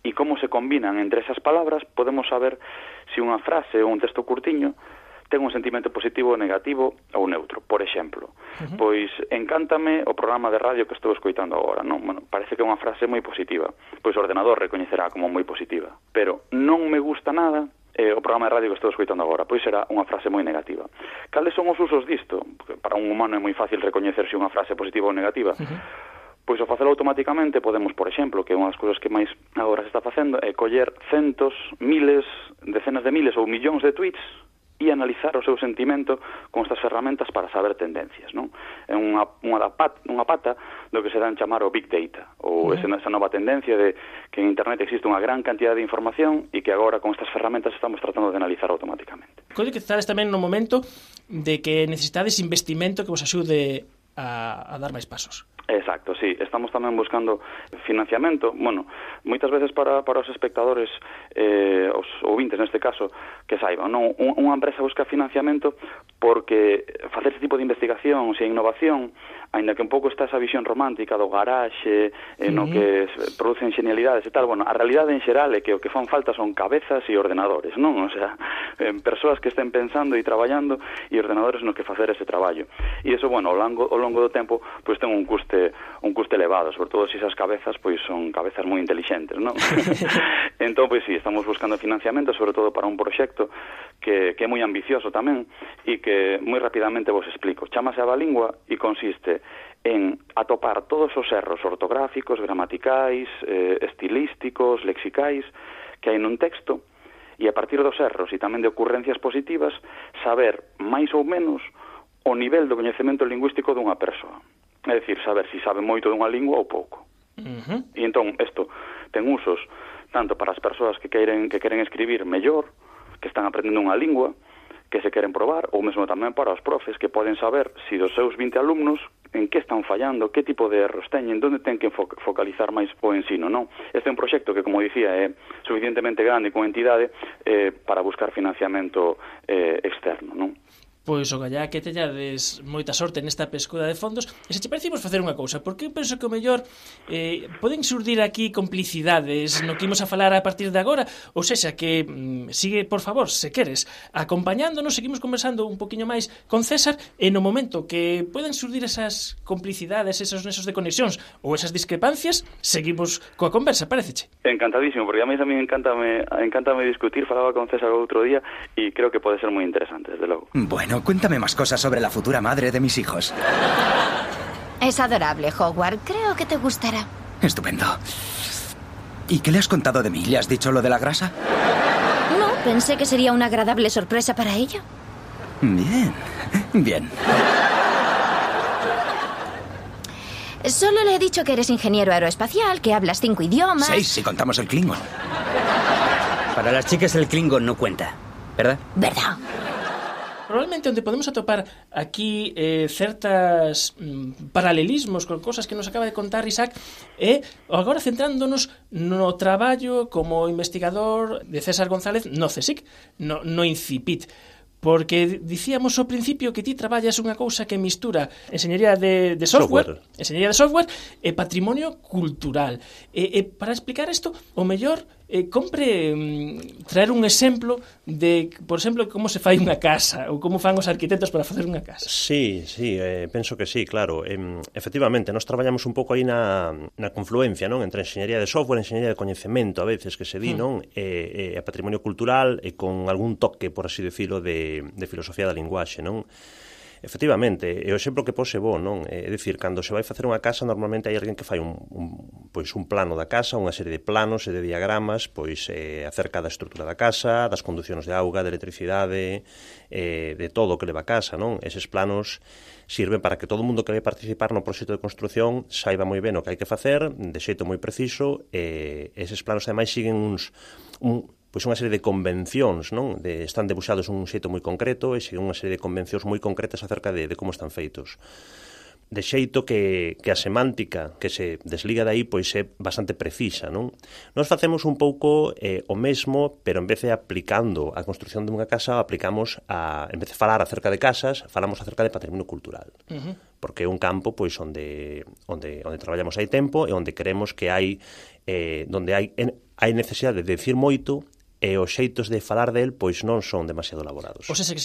Speaker 11: e como se combinan entre esas palabras, podemos saber se unha frase ou un texto curtiño ten un sentimento positivo, negativo ou neutro. Por exemplo, pois encántame o programa de radio que estou escoitando agora, non? Bueno, parece que é unha frase moi positiva. Pois o ordenador recoñecerá como moi positiva. Pero non me gusta nada o programa de radio que estou escoitando agora, pois será unha frase moi negativa. Cales son os usos disto? Porque para un humano é moi fácil recoñecer se unha frase positiva ou negativa. Pois ao facelo automáticamente podemos, por exemplo, que unha das cousas que máis agora se está facendo é coller centos, miles, decenas de miles ou millóns de tweets e analizar o seu sentimento con estas ferramentas para saber tendencias, non? É unha pata do que se dan chamar o Big Data, ou esa nova tendencia de que en Internet existe unha gran cantidad de información e que agora con estas ferramentas estamos tratando de analizar automáticamente.
Speaker 1: Coide que estades tamén no momento de que necesitades investimento que vos axude a dar máis pasos.
Speaker 11: Exacto, sí. Estamos tamén buscando financiamento, bueno, moitas veces para os espectadores, os ouvintes neste caso, que saiban, non? Unha empresa busca financiamento porque facer ese tipo de investigación e innovación, aínda que un pouco está esa visión romántica do garaxe, no que producen genialidades e tal, bueno, a realidade en xeral é que o que fan falta son cabezas e ordenadores, non? O sea, persoas que estén pensando e traballando e ordenadores nos que facer ese traballo. E iso, bueno, ao longo do tempo, pois ten un custe elevado, sobre todo se esas cabezas pois son cabezas moi intelixentes, non? Entón, pois sí, estamos buscando financiamento, sobre todo para un proxecto que é moi ambicioso tamén e que moi rapidamente vos explico. Chámase Abalingua e consiste en atopar todos os erros ortográficos, gramaticais, estilísticos, lexicais que hai nun texto e a partir dos erros e tamén de ocurrencias positivas saber máis ou menos o nivel do coñecemento lingüístico dunha persoa. É dicir, saber se sabe moito dunha lingua ou pouco. E entón, isto ten usos tanto para as persoas que queren escribir mellor, que están aprendendo unha lingua, que se queren probar, ou mesmo tamén para os profes que poden saber se dos seus 20 alumnos en que están fallando, que tipo de erros teñen, onde ten que focalizar máis o ensino, non? Este é un proxecto que, como dicía, é suficientemente grande con entidade para buscar financiamento externo, non?
Speaker 1: Pois o gallá que teñades moita sorte nesta pescuda de fondos. E se che parecimos facer unha cousa, porque eu penso que o mellor poden surdir aquí complicidades no que imos a falar a partir de agora, ou sexa, que sigue, por favor, se queres, acompañándonos, seguimos conversando un poquinho máis con César, e no momento que poden surdir esas complicidades, esos nesos de conexións ou esas discrepancias, seguimos coa conversa, pareceche?
Speaker 11: Encantadísimo, porque a mí encántame discutir, falaba con César outro día, e creo que pode ser moi interesante, desde logo.
Speaker 12: Bueno, cuéntame más cosas sobre la futura madre de mis hijos.
Speaker 13: Es adorable, Howard. Creo que te gustará.
Speaker 12: Estupendo. ¿Y qué le has contado de mí? ¿Le has dicho lo de la grasa?
Speaker 13: No, pensé que sería una agradable sorpresa para ella.
Speaker 12: Bien.
Speaker 13: Solo le he dicho que eres ingeniero aeroespacial, que hablas 5 idiomas...
Speaker 12: 6, si contamos el Klingon.
Speaker 14: Para las chicas el Klingon no cuenta, ¿verdad?
Speaker 13: ¿Verdad?
Speaker 1: Probablemente onde podemos atopar aquí certas paralelismos con cosas que nos acaba de contar Isaac é agora centrándonos no traballo como investigador de César González no CSIC, no INCIPIT. Porque dicíamos ao principio que ti traballas unha cousa que mistura enxeñería de software e patrimonio cultural. Para explicar isto, o mellor compre traer un exemplo de, por exemplo, como se fai unha casa ou como fan os arquitectos para facer unha casa.
Speaker 2: Sí, penso que sí, claro. Efectivamente, nós traballamos un pouco aí na confluencia, non, entre enxeñería de software e enxeñería de coñecemento, a veces que se di, non, e patrimonio cultural e con algún toque, por así decirlo, de filosofía da linguaxe, non? Efectivamente, e o exemplo que pose bo, non? É dicir, cando se vai facer unha casa, normalmente hai alguén que fai un plano da casa, unha serie de planos e de diagramas, pois acerca da estrutura da casa, das conducións de auga, de electricidade, de todo o que leva a casa, non? Eses planos sirven para que todo o mundo que vai participar no proxecto de construción saiba moi ben o que hai que facer, de xeito moi preciso, e eses planos, ademais, siguen unha serie de convencións, non? Están debuxados un xeito moi concreto e siguen unha serie de convencións moi concretas acerca de como están feitos. De xeito que a semántica que se desliga dai pois é bastante precisa, non? Nós facemos un pouco o mesmo, pero en vez de aplicando a construción dunha casa, aplicamos en vez de falar acerca de casas, falamos acerca de patrimonio cultural. Porque é un campo pois onde traballamos hai tempo e onde queremos que hai necesidade de decir moito e os xeitos de falar del pois non son demasiado elaborados.
Speaker 1: O sea, que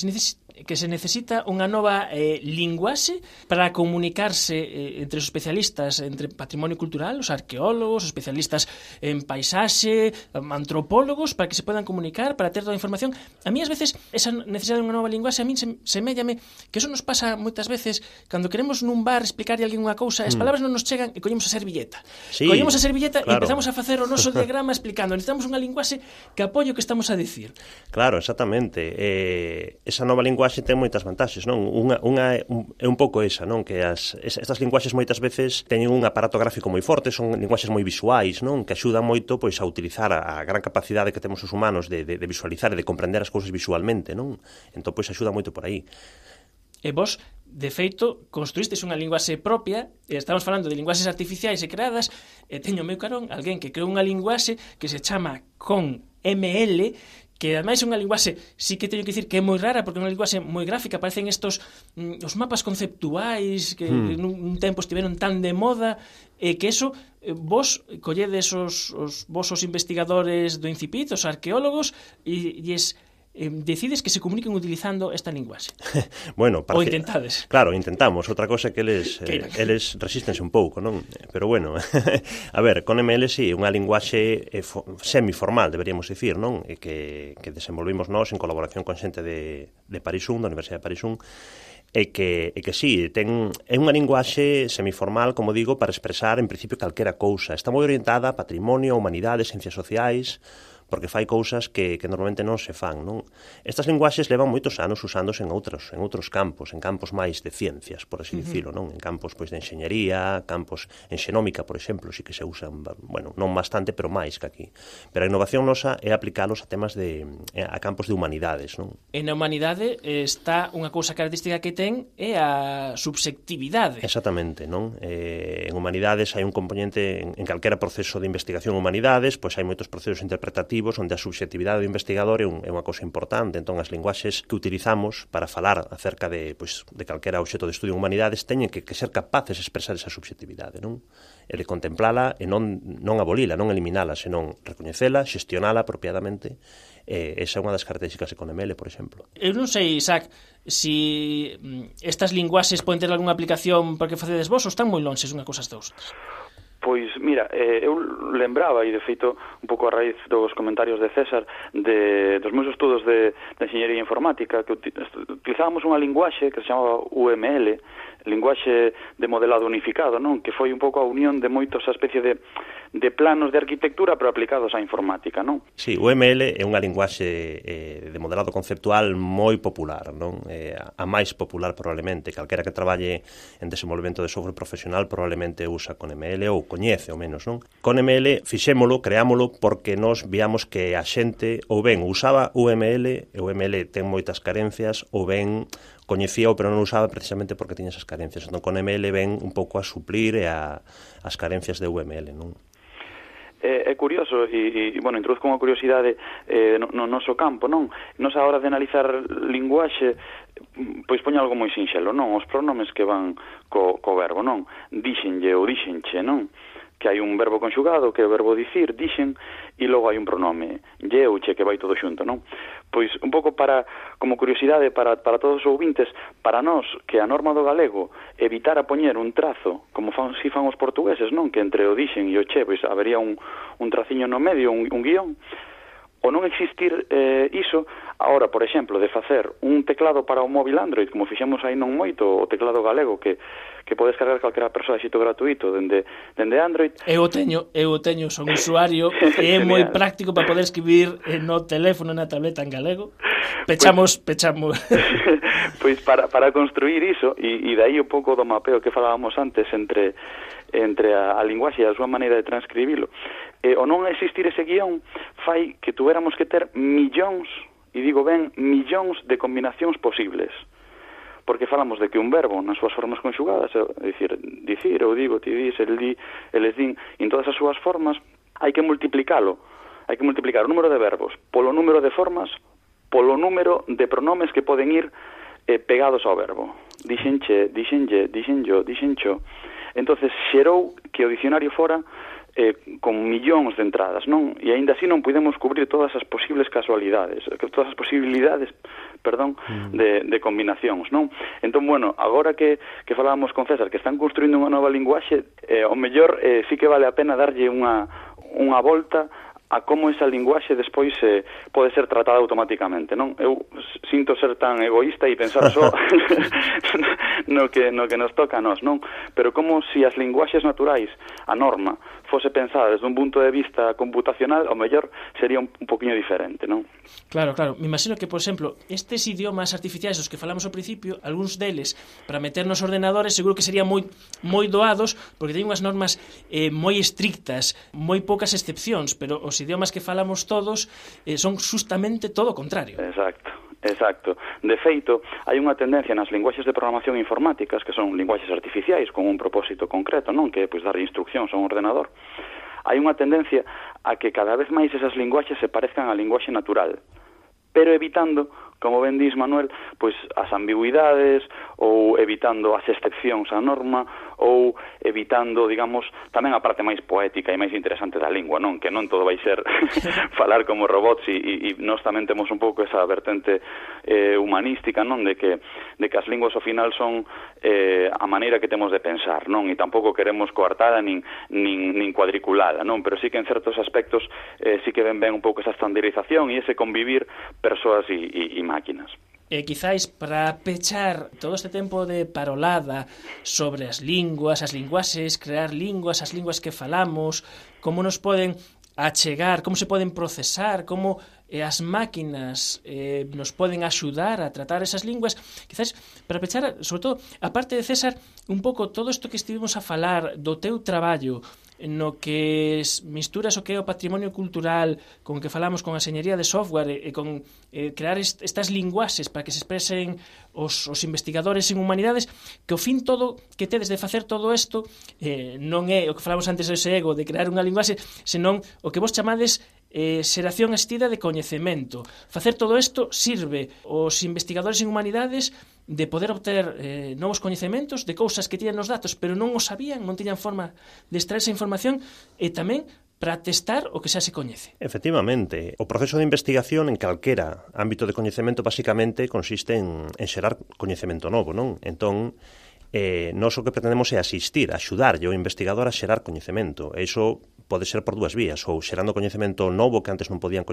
Speaker 1: que se necesita unha nova linguaxe para comunicarse entre os especialistas entre patrimonio cultural, os arqueólogos, os especialistas en paisaxe, antropólogos, para que se podan comunicar, para ter toda a información. A mí, ás veces, esa necesidade de unha nova linguaxe, a mí seméllame que eso nos pasa moitas veces cando queremos nun bar explicarle a alguén unha cousa, as palabras non nos chegan e collemos a servilleta.
Speaker 2: Sí,
Speaker 1: collemos a servilleta
Speaker 2: claro.
Speaker 1: E empezamos a facer o noso diagrama explicando. Necesitamos unha linguaxe que apoie o que estamos a dicir.
Speaker 2: Claro, exactamente. Esa nova linguaxe ten moitas vantaxes, non? Unha é un pouco esa, non? Que estas linguaxes moitas veces teñen un aparato gráfico moi forte, son linguaxes moi visuais, non? Que axudan moito pois a utilizar a gran capacidade que temos os humanos de visualizar e de comprender as cousas visualmente, non? Entón, pois axuda moito por aí.
Speaker 1: E vos, de feito, construístes unha linguaxe propia, e estamos falando de linguaxes artificiais e creadas, e teño meu carón alguén que creou unha linguaxe que se chama ConML, que ademais é unha linguaxe, sí que teño que dicir que é moi rara, porque é unha linguaxe moi gráfica, aparecen estos os mapas conceptuais que nun tempo estiveron tan de moda, e que eso, vos colledes os investigadores do Incipit, os arqueólogos, e decides que se comuniquen utilizando esta linguaxe.
Speaker 2: Bueno,
Speaker 1: ou intentades.
Speaker 2: Claro, intentamos. Outra cosa é que eles resístense un pouco, non? Pero bueno, a ver, con ML sí, unha linguaxe semiformal, deberíamos dicir, non? E que desenvolvimos nós en colaboración con xente de Paris 1, da Universidade de Paris 1, e que sí, é unha linguaxe semiformal, como digo, para expresar en principio calquera cousa. Está moi orientada a patrimonio, a humanidades, ciencias sociais, porque fai cousas que normalmente non se fan, non? Estas linguaxes levan moitos anos usándose en outros campos, en campos máis de ciencias, por así dicilo, non? En campos pois de enxeñería, campos en xenómica, por exemplo, sí que se usan, bueno, non bastante, pero máis que aquí. Pero a innovación nosa é aplicalos a temas a campos de humanidades, non?
Speaker 1: E na humanidade está unha cousa característica que ten é a subxectividade.
Speaker 2: Exactamente, non? En humanidades hai un componente en calquera proceso de investigación humanidades, pois hai moitos procesos interpretativos onde a subxectividade do investigador é unha cousa importante. Entón, as linguaxes que utilizamos para falar acerca de calquera obxecto de estudio en humanidades teñen que ser capaces de expresar esa subxectividade, non? E de contemplala e non abolila, non eliminala, senón recoñecela, xestionala apropiadamente. Esa é unha das características de ConML, por exemplo.
Speaker 1: Eu non sei, Isaac, si estas linguaxes poden ter algunha aplicación porque facedes vos ou están moi lonxes unha cousa das outras?
Speaker 11: Pois, mira, eu lembraba, e de feito, un pouco a raíz dos comentarios de César, dos meus estudos de enxeñería informática, que utilizábamos unha linguaxe que se chamaba UML, linguaxe de modelado unificado, non? Que foi un pouco a unión de moitos a especie de planos de arquitectura pero aplicados á informática, non?
Speaker 2: Sí, o UML é unha linguaxe de modelado conceptual moi popular, non? A máis popular probablemente, calquera que traballe en desenvolvemento de software profesional probablemente usa ConML ou coñece ao menos, non? ConML fixémolo, creámolo porque nós víamos que a xente ou ben usaba UML, e o UML ten moitas carencias, ou ben coñecíao pero non usaba precisamente porque tiña esas carencias. Entón, ConML ven un pouco a suplir as carencias de UML, non?
Speaker 11: É curioso, e bueno, introduzco unha curiosidade no noso campo, non? Nos a hora de analizar linguaxe, pois poño algo moi sinxelo, non? Os pronomes que van co verbo, non? Dixenlle ou dixenche, non? Que hai un verbo conxugado, que é o verbo dicir, dixen, e logo hai un pronome, lle ou che, que vai todo xunto, non? Pois, un pouco como curiosidade para todos os ouvintes, para nós, que a norma do galego evitara poñer un trazo, como fan os portugueses, non? Que entre o dixen e o che, pois habería un traciño no medio, un guión, o non existir iso, agora, por exemplo, de facer un teclado para o móvil Android, como fixemos aí non moito, o teclado galego, que podes cargar calquera persoa de xito gratuito dende Android.
Speaker 1: Eu teño, son usuario, e é moi práctico para poder escribir no teléfono, na tableta en galego. Pechamos.
Speaker 11: Pois para construir iso, e dai un pouco do mapeo que falábamos antes entre a linguaxe e a súa maneira de transcribilo, o non existir ese guión fai que tuéramos que ter millóns, e digo ben, millóns de combinacións posibles. Porque falamos de que un verbo nas súas formas conxugadas, é dicir, dicir, ou digo, ti dis, el di, eles din, en todas as súas formas, hai que multiplicalo. Hai que multiplicar o número de verbos polo número de formas, polo número de pronomes que poden ir pegados ao verbo. Dixenche, dixenlle, dixenllo, dixencho. Entonces, xerou que o dicionario fora con millóns de entradas, non? E aínda así non podemos cubrir todas as posibles casualidades, todas as posibilidades, de combinacións, non? Entón, bueno, agora que falábamos con César que están construindo unha nova linguaxe, o mellor sí que vale a pena darlle unha volta a como esa linguaxe despois pode ser tratada automáticamente, non? Eu sinto ser tan egoísta e pensar só no que nos toca a nós, non? Pero como se as linguaxes naturais, a norma, fose pensada desde un punto de vista computacional, ao mellor sería un poquinho diferente, non?
Speaker 1: Claro. Me imagino que, por exemplo, estes idiomas artificiais dos que falamos ao principio, algúns deles, para meter nos ordenadores, seguro que serían moi doados, porque teñen unhas normas moi estrictas, moi poucas excepcións, pero os idiomas que falamos todos son justamente todo o contrario.
Speaker 11: Exacto. De feito, hai unha tendencia nas linguaxes de programación informáticas, que son linguaxes artificiais con un propósito concreto, non? Que é dar instruccións a un ordenador. Hai unha tendencia a que cada vez máis esas linguaxes se parezcan á linguaxe natural, pero evitando, como ben dis Manuel, pois as ambigüidades ou evitando as excepcións á norma ou evitando, digamos, tamén a parte máis poética e máis interesante da lingua, non? Que non todo vai ser falar como robots e nós tamén temos un pouco esa vertente humanística, non? De que as linguas ao final son a maneira que temos de pensar, non? E tampouco queremos coartada nin cuadriculada, non? Pero sí que en certos aspectos sí que ven un pouco esa estandarización e ese convivir persoas e máquinas.
Speaker 1: E quizáis para pechar todo este tempo de parolada sobre as linguaxes, crear linguas, as linguas que falamos, como nos poden achegar, como se poden procesar, como as máquinas nos poden axudar a tratar esas linguas, quizás para pechar, sobre todo, a parte de César, un pouco todo isto que estivemos a falar do teu traballo, no que misturas o que é o patrimonio cultural con que falamos con a enxeñería de software e con crear estas linguaxes para que se expresen os investigadores en humanidades, que ao fin todo que tedes de facer todo isto non é o que falamos antes dese ego de crear unha linguaxe, senón o que vos chamades xeración asistida de coñecemento. Facer todo isto sirve aos investigadores en humanidades de poder obter novos coñecementos de cousas que tiñan nos datos, pero non o sabían, non tiñan forma de extraer esa información, e tamén para testar o que xa se coñece.
Speaker 2: Efectivamente, o proceso de investigación en calquera ámbito de coñecemento basicamente consiste en xerar coñecemento novo, non? Entón, nós o que pretendemos é asistir, axudarlle ao investigador a xerar coñecemento. E iso pode ser por dúas vías, ou xerando coñecemento novo que antes non podían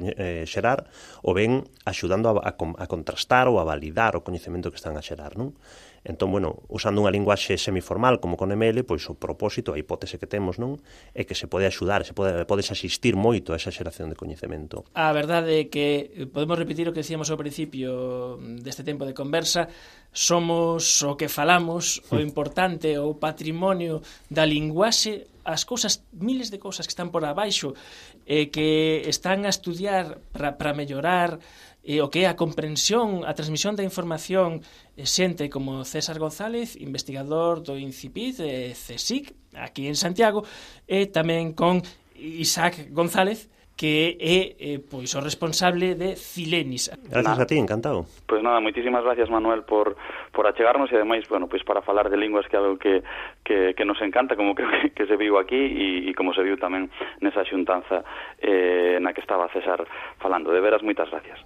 Speaker 2: xerar, ou ben axudando a contrastar ou a validar o coñecemento que están a xerar, non? Entón, bueno, usando unha linguaxe semiformal como con ML, pois o propósito, a hipótese que temos, non, é que se pode axudar, podes asistir moito a esa xeración de coñecemento.
Speaker 1: A verdade é que podemos repetir o que decíamos ao principio deste tempo de conversa, somos o que falamos, o importante, o patrimonio da linguaxe, as cousas, miles de cousas que están por abaixo, que están a estudiar para mellorar o que é a comprensión, a transmisión da información, xente como César González, investigador do INCIPID, CSIC, aquí en Santiago, e tamén con Isaac González, que é pois o responsable de Cilenis.
Speaker 2: Gracias a ti, encantado.
Speaker 11: Pois nada, moitísimas gracias, Manuel, por achegarnos e ademais, bueno, pois para falar de linguas que é algo que nos encanta, como creo que se viu aquí e como se viu tamén nesa xuntanza na que estaba César falando. De veras, moitas gracias.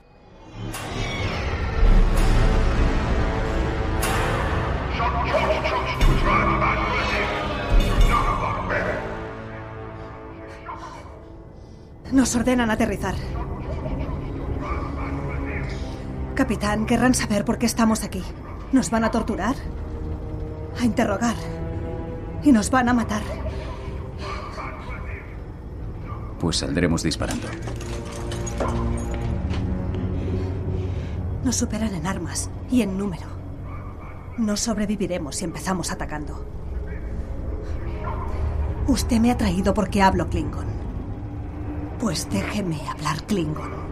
Speaker 15: Nos ordenan aterrizar. Capitán, querrán saber por qué estamos aquí. Nos van a torturar, a interrogar y nos van a matar.
Speaker 12: Pues saldremos disparando.
Speaker 15: Nos superan en armas y en número. No sobreviviremos si empezamos atacando. Usted me ha traído porque hablo Klingon. Pues déjeme hablar Klingon.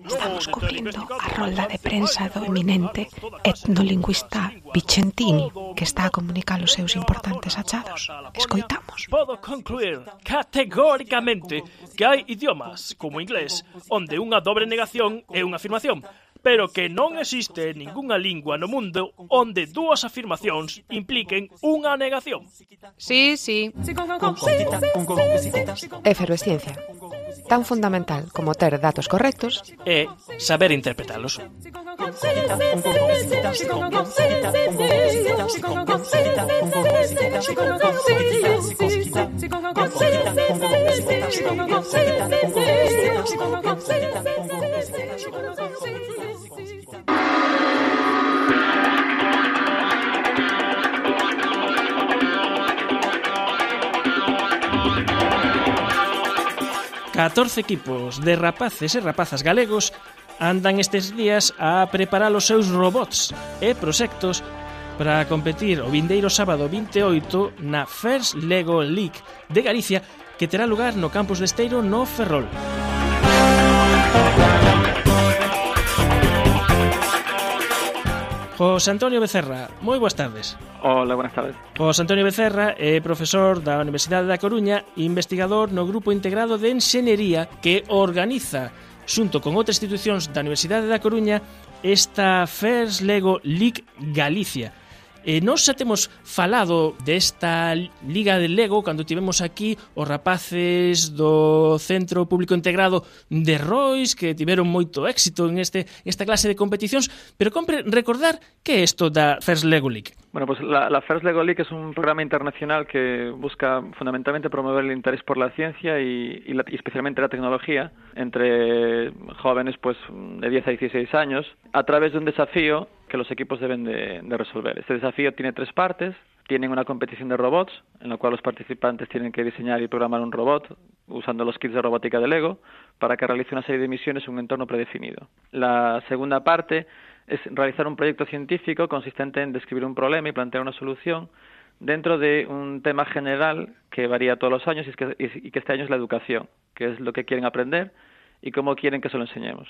Speaker 16: Estamos cubrindo a rolda de prensa do eminente etnolingüista Vicentini, que está a comunicar os seus importantes achados. Escoitamos.
Speaker 1: Podo concluir categóricamente que hai idiomas, como o inglés, onde unha dobre negación é unha afirmación, pero que non existe ningunha lingua no mundo onde dúas afirmacións impliquen unha negación.
Speaker 16: Sí. Efervesciencia. Tan fundamental como ter datos correctos
Speaker 1: e saber interpretalos. Catorce equipos de rapaces e rapazas galegos andan estes días a preparar os seus robots e proxectos para competir o vindeiro sábado 28 na First Lego League de Galicia, que terá lugar no campus de Esteiro no Ferrol. José Antonio Becerra, moi boas tardes.
Speaker 17: Hola, buenas tardes.
Speaker 1: José Antonio Becerra é profesor da Universidade da Coruña, investigador no Grupo Integrado de Enxeñería que organiza, xunto con outras institucións da Universidade da Coruña, esta First Lego League Galicia. Nós xa temos falado desta Liga de Lego cando tivemos aquí os rapaces do Centro Público Integrado de Rois, que tiveron moito éxito en esta clase de competicións, pero compre recordar que é isto da First Lego League.
Speaker 17: Bueno, pues la First Lego League es un programa internacional que busca fundamentalmente promover el interés por la ciencia y especialmente la tecnología entre jóvenes pues de 10 a 16 años a través de un desafío que los equipos deben de resolver. Este desafío tiene 3 partes. Tienen una competición de robots, en la cual los participantes tienen que diseñar y programar un robot usando los kits de robótica de Lego para que realice una serie de misiones en un entorno predefinido. La segunda parte es realizar un proyecto científico consistente en describir un problema y plantear una solución dentro de un tema general que varía todos los años y que este año es la educación, que es lo que quieren aprender y cómo quieren que se lo enseñemos.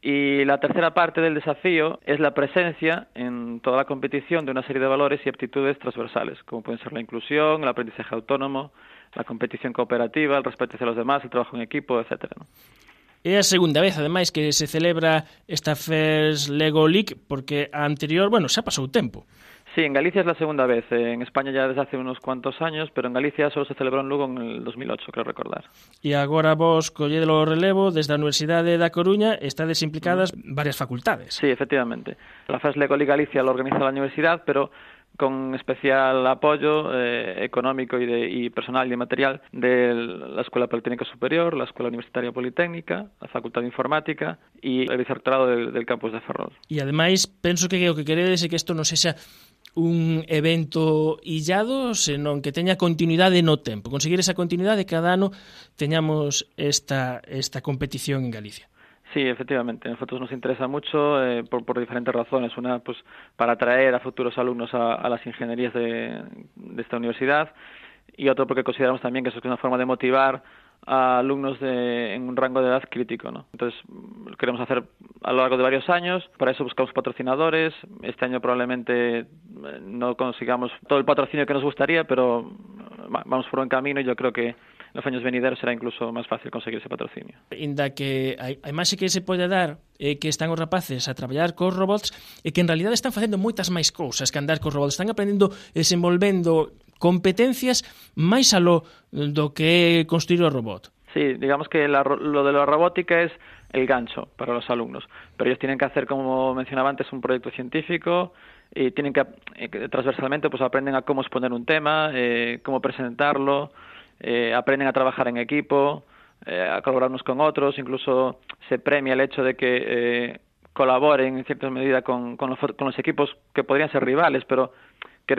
Speaker 17: Y la tercera parte del desafío es la presencia en toda la competición de una serie de valores y aptitudes transversales, como pueden ser la inclusión, el aprendizaje autónomo, la competición cooperativa, el respeto hacia los demás, el trabajo en equipo, etcétera, ¿no?
Speaker 1: É a segunda vez, ademais, que se celebra esta First Lego League, porque a anterior, bueno, xa pasou tempo.
Speaker 17: Sí, en Galicia es la segunda vez. En España ya desde hace unos cuantos años, pero en Galicia solo se celebró en Lugo en el 2008, creo recordar.
Speaker 1: E agora vos colledelo o relevo desde a Universidade da Coruña, estades implicadas varias facultades.
Speaker 17: Sí, efectivamente. La First Lego League Galicia lo organiza la universidad, pero con especial apoyo económico y personal y material de la Escuela Politécnica Superior, la Escuela Universitaria Politécnica, la Facultad de Informática y el vicerrectorado del campus de Ferrol.
Speaker 1: E ademais, penso que o que queredes é que isto non sexa un evento illado, senón que teña continuidade no tempo. Conseguir esa continuidade, cada ano teñamos esta competición en Galicia.
Speaker 17: Sí, efectivamente. A nosotros nos interesa mucho por diferentes razones. Una, pues, para atraer a futuros alumnos a las ingenierías de esta universidad, y otro porque consideramos también que eso es una forma de motivar a alumnos en un rango de edad crítico, ¿no? Entonces, lo queremos hacer a lo largo de varios años. Para eso buscamos patrocinadores. Este año probablemente no consigamos todo el patrocinio que nos gustaría, pero vamos por buen camino y yo creo que en los años venideros será incluso máis fácil conseguir ese patrocinio.
Speaker 1: Inda que a imaxe que se pode dar é que están os rapaces a traballar cos robots e que en realidad están facendo moitas máis cousas que andar cos robots. Están aprendendo, desenvolvendo competencias máis aló do que é construir o robot.
Speaker 17: Sí, digamos que lo de la robótica es el gancho para los alumnos, pero ellos tienen que hacer, como mencionaba antes, un proyecto científico y tienen que transversalmente pues aprenden a cómo exponer un tema, cómo presentarlo, aprenden a trabajar en equipo, a colaborar unos con otros, incluso se premia el hecho de que colaboren en cierta medida con los equipos que podrían ser rivales, pero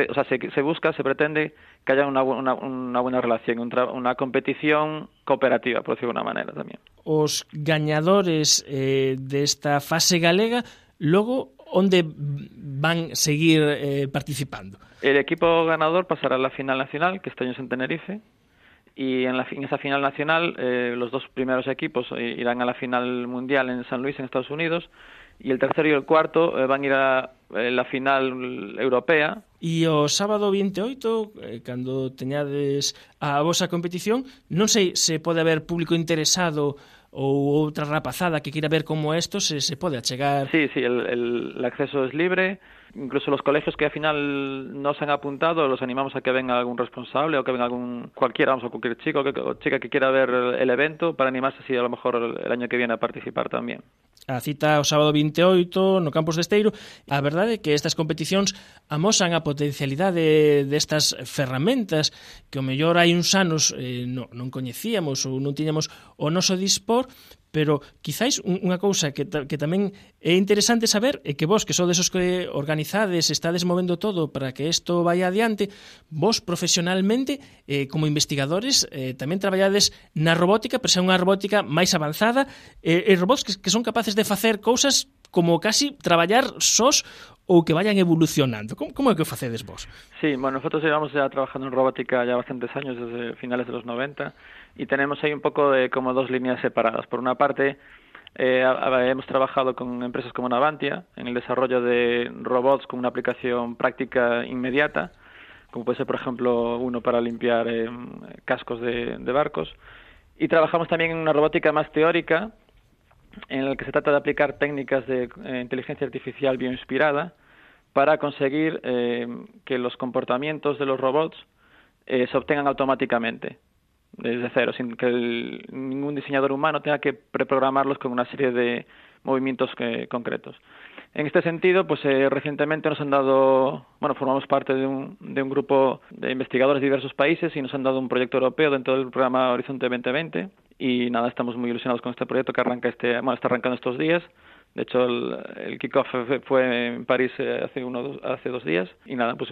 Speaker 17: o sea, se pretende que haya una buena relación, una competición cooperativa, por decirlo de una manera también.
Speaker 1: Os gañadores desta fase galega, logo, onde van seguir participando?
Speaker 17: El equipo ganador pasará a la final nacional, que este año es en Tenerife, y en esa final nacional los 2 primeros equipos irán a la final mundial en San Luis, en Estados Unidos, y el tercero y el cuarto van a ir a la final europea.
Speaker 1: E o sábado 28, cando teñades a vosa competición, non sei se pode haber público interesado ou outra rapazada que queira ver como esto se pode achegar.
Speaker 17: Sí, el acceso es libre. Incluso los colegios que al final no se han apuntado, los animamos a que venga algún responsable o que venga cualquier chico o chica que quiera ver el evento para animarse así a lo mejor el año que viene a participar tamén.
Speaker 1: A cita o sábado 28 no Campos de Esteiro. A verdade é que estas competicións amosan a potencialidade destas ferramentas que o mellor hai uns anos non coñecíamos ou non tiñamos o noso dispor, pero quizáis unha cousa que tamén é interesante saber é que vos, que sodes os que organizades, estades movendo todo para que isto vaya adiante, vos profesionalmente, como investigadores, tamén traballades na robótica, pero xa unha robótica máis avanzada, e robots que son capaces de facer cousas como casi traballar sós ou que vayan evolucionando. Como é que o facedes vos?
Speaker 17: Sí, bueno, nosotros llevamos ya trabajando en robótica ya bastantes años, desde finales de los 90, y tenemos ahí un poco de como dos líneas separadas. Por una parte, hemos trabajado con empresas como Navantia en el desarrollo de robots con una aplicación práctica inmediata, como puede ser, por ejemplo, uno para limpiar cascos de barcos. Y trabajamos también en una robótica más teórica, en el que se trata de aplicar técnicas de inteligencia artificial bioinspirada para conseguir que los comportamientos de los robots se obtengan automáticamente, desde cero, sin que ningún diseñador humano tenga que preprogramarlos con una serie de movimientos concretos. En este sentido, pues recientemente nos han dado, formamos parte de un grupo de investigadores de diversos países y nos han dado un proyecto europeo dentro del programa Horizonte 2020 y nada, estamos muy ilusionados con este proyecto que está arrancando estos días. De hecho, el kick-off fue en París hace 2 días y nada, pues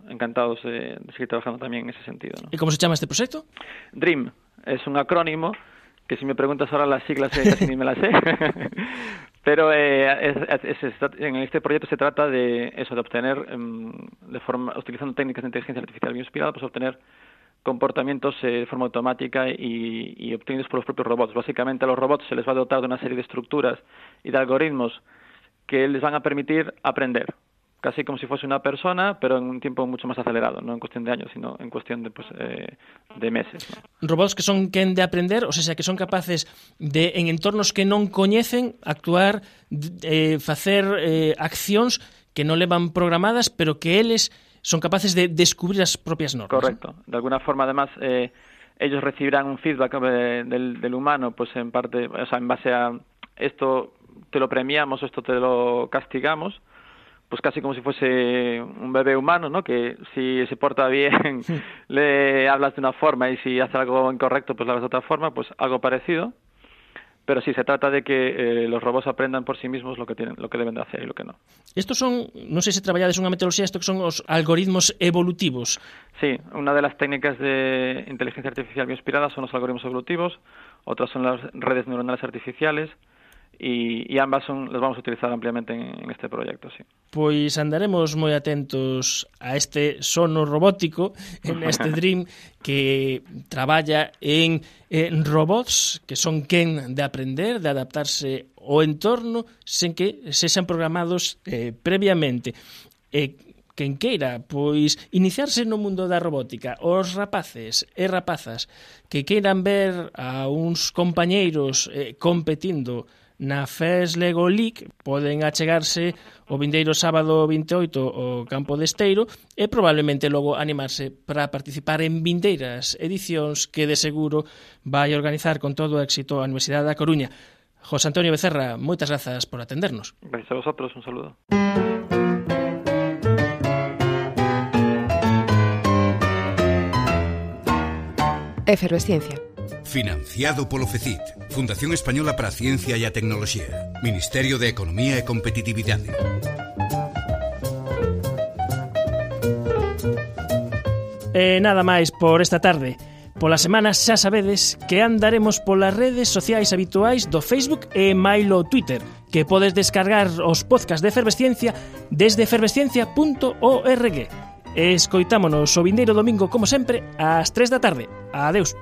Speaker 17: encantados de seguir trabajando también en ese sentido, ¿no?
Speaker 1: ¿Y cómo se llama este proyecto?
Speaker 17: DREAM es un acrónimo que si me preguntas ahora las siglas casi ni me las sé. Pero en este proyecto se trata de obtener, utilizando técnicas de inteligencia artificial bioinspirada, pues obtener comportamientos de forma automática y obtenidos por los propios robots. Básicamente a los robots se les va a dotar de una serie de estructuras y de algoritmos que les van a permitir aprender, casi como si fuese una persona, pero en un tiempo mucho más acelerado, no en cuestión de años, sino en cuestión de meses, ¿no?
Speaker 1: Robots que son quen de aprender, o sea, que son capaces de, en entornos que non coñecen, actuar, facer accións que non levan programadas, pero que eles son capaces de descubrir as propias normas.
Speaker 17: Correcto. ¿No? De alguna forma, además, ellos recibirán un feedback del humano, pues en parte, o sea, en base a esto te lo premiamos, esto te lo castigamos, pues casi como si fuese un bebé humano, ¿no? Que si se porta bien le hablas de una forma y si hace algo incorrecto pues le hablas de otra forma, pues algo parecido. Pero sí, se trata de que los robots aprendan por sí mismos lo que deben de hacer y lo que no.
Speaker 1: Estos son, non sei se traballades unha metodoloxía, estos que son os algoritmos evolutivos.
Speaker 17: Sí, una de las técnicas de inteligencia artificial bioinspirada son los algoritmos evolutivos, otras son las redes neuronales artificiales, y ambas las vamos a utilizar ampliamente en este proyecto, sí.
Speaker 1: Pois andaremos moi atentos a este sono robótico, en este DREAM que traballa en robots que son quen de aprender, de adaptarse ao entorno sen que sexan programados previamente. Quen queira, pois, iniciarse no mundo da robótica, os rapaces e rapazas que queiran ver a uns compañeiros competindo na FES Lego League, poden achegarse o vindeiro sábado 28 ao Campo de Esteiro e probablemente logo animarse para participar en vindeiras edicións que de seguro vai organizar con todo o éxito a Universidade da Coruña. José Antonio Becerra, moitas grazas por atendernos.
Speaker 17: Gracias a vosotros, un saludo.
Speaker 16: Efervesciencia.
Speaker 3: Financiado polo FECIT, Fundación Española para a Ciencia e a Tecnoloxía, Ministerio de Economía e Competitividade.
Speaker 1: Nada máis por esta tarde. Pola semana xa sabedes que andaremos polas redes sociais habituais do Facebook e mailo Twitter, que podes descargar os podcasts de Efervesciencia desde efervesciencia.org. Escoitámonos o vindeiro domingo, como sempre, ás 3 da tarde. Adeus.